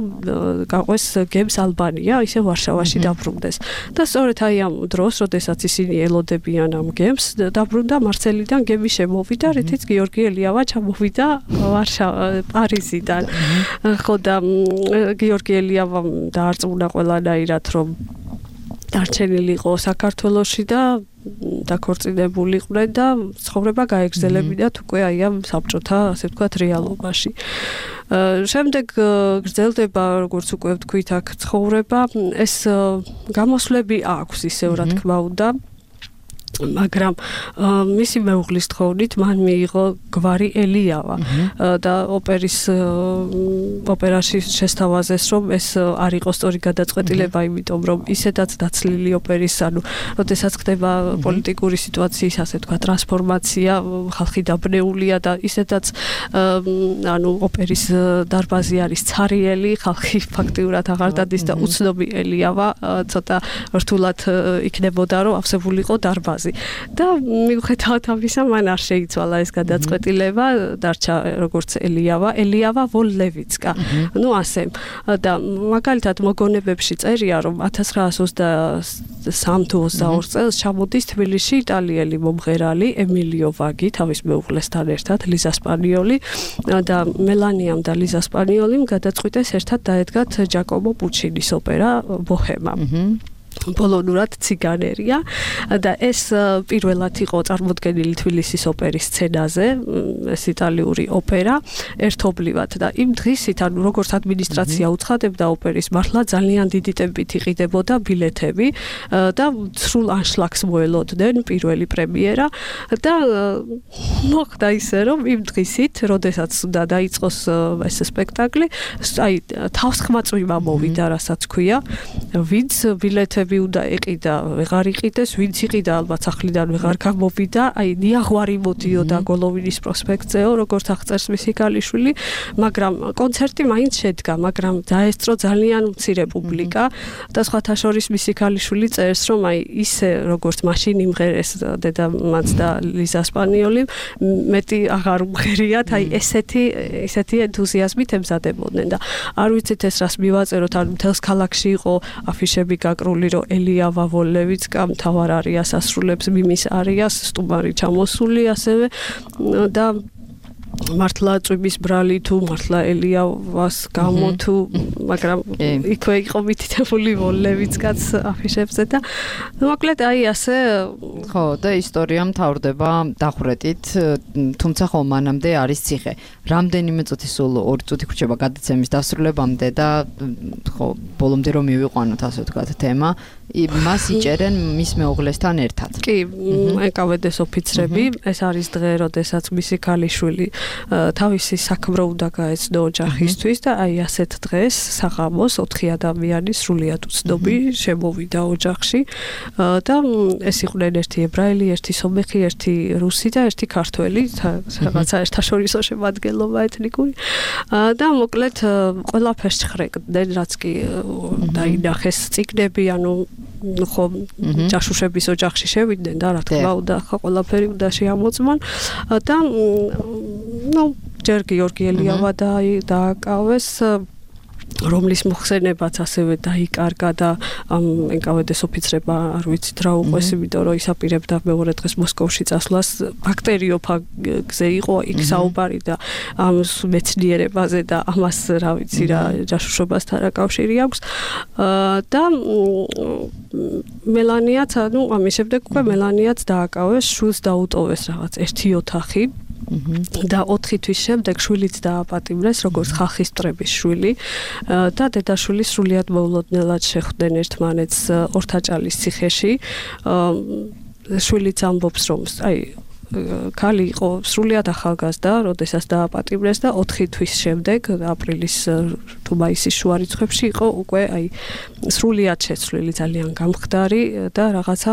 გაყვეს გემს ალბანია, ისე ვარშავაში დაბრუნდეს. და სწორედ აი ამ დროს, როდესაც ისინი ელოდებიან ამ გემს, დაბრუნდა მარსელიდან გემი შემოვიდა, რითიც გიორგი ელიავა ჩამოვიდა პარიზიდან. ხო და გიორგი ელიავამ დაარწმუნა ყველანაირად, რომ დარჩენილი იყო საქართველოში და დაქორწინებულიყვნენ და ცხოვრება გაეგრძელებინათ უკვე აი ამ საბჭოთა, ასე ვთქვათ, რეალობაში. შემდეგ გრძელდება, როგორც უკვე ვთქვით, აქ ცხოვრება, ეს გამოსვლები აქვს ისევ, რა თქმა უნდა. მაგრამ მისი მეუღლის თხოვნით მან მიიღო გვარი ელიავა და ოპერაში შესთავაზეს რომ ეს არ იყო სწორი გადაწყვეტილება იმიტომ რომ ისედაც დაცლილი ოპერის როდესაც ხდება პოლიტიკური სიტუაციის ასე თქვა ტრანსფორმაცია ხალხი დაბნეულია და ისედაც ოპერის დარბაზი არის ცარიელი ხალხი ფაქტიურად აღარ დადის და უცნობი ელიავა ცოტა რთულად იქნებოდა რომ ავსებულიყო დარბაზი და მიუხედავად ამისა მან არ შეიცვალა ეს გადაწყვეტილება დარჩა როგორც ელიავა ვოლლევიცკა ასე და მაგალითად მოგონებებში წერია რომ 1923 თუ 22 წელს ჩამოდის თბილისში იტალიელი მომღერალი ემილიო ვაგი თავის მეუღლესთან ერთად ლიზა სპანიოლი და მელანიამ და ლიზა სპანიოლიმ გადაწყვიტეს ერთად დაედგათ ჯაკომო პუჩინის ოპერა ბოჰემა პოლონურად ციგანერია და ეს პირველად იყო წარმოდგენილი თბილისის ოპერის სცენაზე ეს იტალიური ოპერა ერთობლივად და იმ დღისით როგორც ადმინისტრაცია უცხადებდა ოპერის მართლა ძალიან დიდი ტემპით იყიდებოდა ბილეთები და სრულ ანშლაგს მოელოდნენ პირველი პრემიერა და მოხდა ისე რომ იმ დღისით როდესაც უნდა დაიწყოს ეს სპექტაკლი აი თავსხმაწვიმა მოვიდა რასაც ქვია ვინც ბილეთები უნდა ეყიდა, ვეღარ იყიდეს, ვინც იყიდა ალბათ სახლიდან ვეღარ გამოვიდა, აი ნიაღვარი მოდიოდა გოლოვინის პროსპექტზეო, როგორც აღწერს მისი ქალიშვილი, მაგრამ კონცერტი მაინც შედგა, მაგრამ დაესწრო ძალიან მცირე პუბლიკა და სხვათა შორის მისი ქალიშვილი წერს, რომ აი ისე როგორც მაშინ იმღერეს დედამაც და ლიზა სპანიოლი, მეტი აღარ უმღერიათ, აი ესეთი ენთუზიაზმით ემზადებოდნენ და არ ვიცით ეს რას მივაწეროთ, ან მთელს ქალაქში იყო აფიშები გაკრული, რომ ელიავა ვოლლევიცკა მთავარ არიას ასრულებს მიმის არიას სტუმარი ჩამოსული ასევე და მართლა წვიმის ბრალი თუ მართლა ელიავას გამო თუ მაგრამ იქვე იყო მითითებული ვოლლევიცკაც აფიშებზე და მოკლედ აი ასე ხო და ისტორია მთავრდება დახვრეტით თუმცა ხო მანამდე არის ციხე რამდენიმე წუთი სულ 2 წუთი გრჩება გადაცემის დასრულებამდე და ხო ბოლომდე რომ მივიყვანოთ ასე ვთქვათ თემა მას იჭერენ მის მეუღლესთან ერთად კი ეკავედეს ოფიცრები ეს არის დღე როდესაც მისი ქალიშვილი თავისი საქმრო უნდა გაეცნო ოჯახისთვის და აი ასეთ დღეს საღამოს 4 ადამიანი სრულიად უცნობი შემოვიდა ოჯახში და ეს იყვნენ ერთი ებრაელი, ერთი სომეხი, ერთი რუსი და ერთი ქართველი, რაღაცა ერთაშორისო შემადგენლობა ეთნიკური და მოკლედ ყველაფერს ხრეკდნენ, რაც კი დაინახეს წიგნები, ანუ ხო ჯაშუშების ოჯახში შევიდნენ და რა თქმა უნდა ხო ყველაფერი უნდა შეამოწმონ და ჯერ გიორგი ელიავა დააკავეს რომლის მოხსენებაც ასევე დაიკარგა და ეკავედეს ოფიცრებმა არ ვიცით რა უყვეს იმიტომ რომ ისაპირებდა მეორე დღეს მოსკოვში წასვლას ბაქტერიოფაგზე იყო იქ საუბარი და ამ მეცნიერებაზე და ამას რა ვიცი რა ჯაშუშობასთან რა კავშირი აქვს და მელანიაც ანუ ამის შემდეგ უკვე მელანიაც დააკავეს შვილს დაუტოვეს რაღაც ერთი ოთახი და 4 თვის შემდეგ შვილიც დააპატიმრეს როგორც ხალხის მტრების შვილი და დედაშვილი სრულიად მოულოდნელად შეხვდნენ ერთმანეთს ორთაჭალის ციხეში შვილიც ამბობს რომ აი ქალი იყო სრულიად ახალგაზრდა, როდესაც დააპატიმრეს და 4 თვის შემდეგ აპრილის თუ მაისის შუა რიცხვებში იყო უკვე აი სრულიად შეცვლილი ძალიან გამხდარი და რაღაცა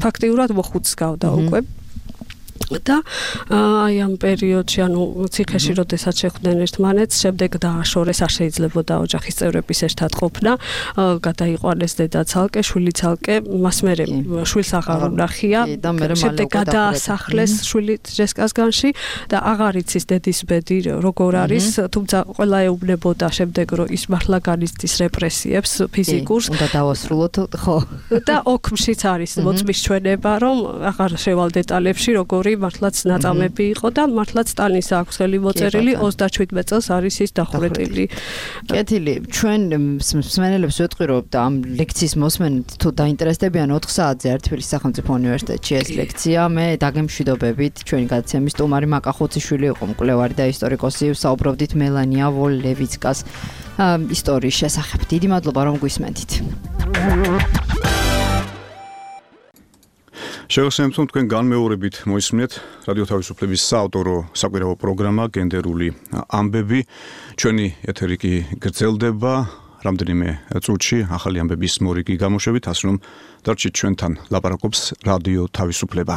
ფაქტიურად მოხუცს გავდა უკვე და აი ამ პერიოდში ანუ ციხეში როდესაც შეხვდნენ ერთმანეთს შემდეგ დააშორეს არ შეიძლებოდა ოჯახის წევრების ერთად ყოფნა გადაიყვანეს დედა ცალკე შვილი ცალკე მას მერე შვილს აღარ უნახია შემდეგ გადაასახლეს შვილი ჯესკასგანში და აღარ იცის დედის ბედი როგორ არის თუმცა ყველა ეუბნებოდა შემდეგ რომ ის მართლა განიცდის რეპრესიებს ფიზიკურს უნდა დავასრულოთ ხო და ოქმშიც არის მოწმის ჩვენება რომ აღარ შევალ დეტალებში როგორი მართლაც ნაწამები იყო და მართლაც სტალინის აქვს ხელი მოწერილი 37 წელს არის ის დახვრეტილი. კეთილი, ჩვენ მსმენელებს ვეთყვი რომ ამ ლექციის მოსმენით თუ დაინტერესდებიან 4 საათზე თბილისის სახელმწიფო უნივერსიტეტში ეს ლექცია, მე დაგემშვიდობებით ჩვენი გადაცემის სტუმარი მაკა ხუციშვილი იყო მკვლევარი და ისტორიკოსი, საუბრობდით მელანია ვოლლევიცკას ისტორიის შესახებ. დიდი მადლობა რომ გვისმენთ. შეგახსენებთ, რომ თქვენ განმეორებით მოისმინეთ რადიო თავისუფლების საავტორო საკვირაო პროგრამა გენდერული ამბები. ჩვენი ეთერი კი გრძელდება რამდენიმე წუთში ახალი ამბების მორიგი გამოშვებით, ასე რომ დარჩით ჩვენთან, ლაპარაკობს რადიო თავისუფლება.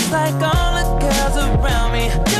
Like all the girls around me.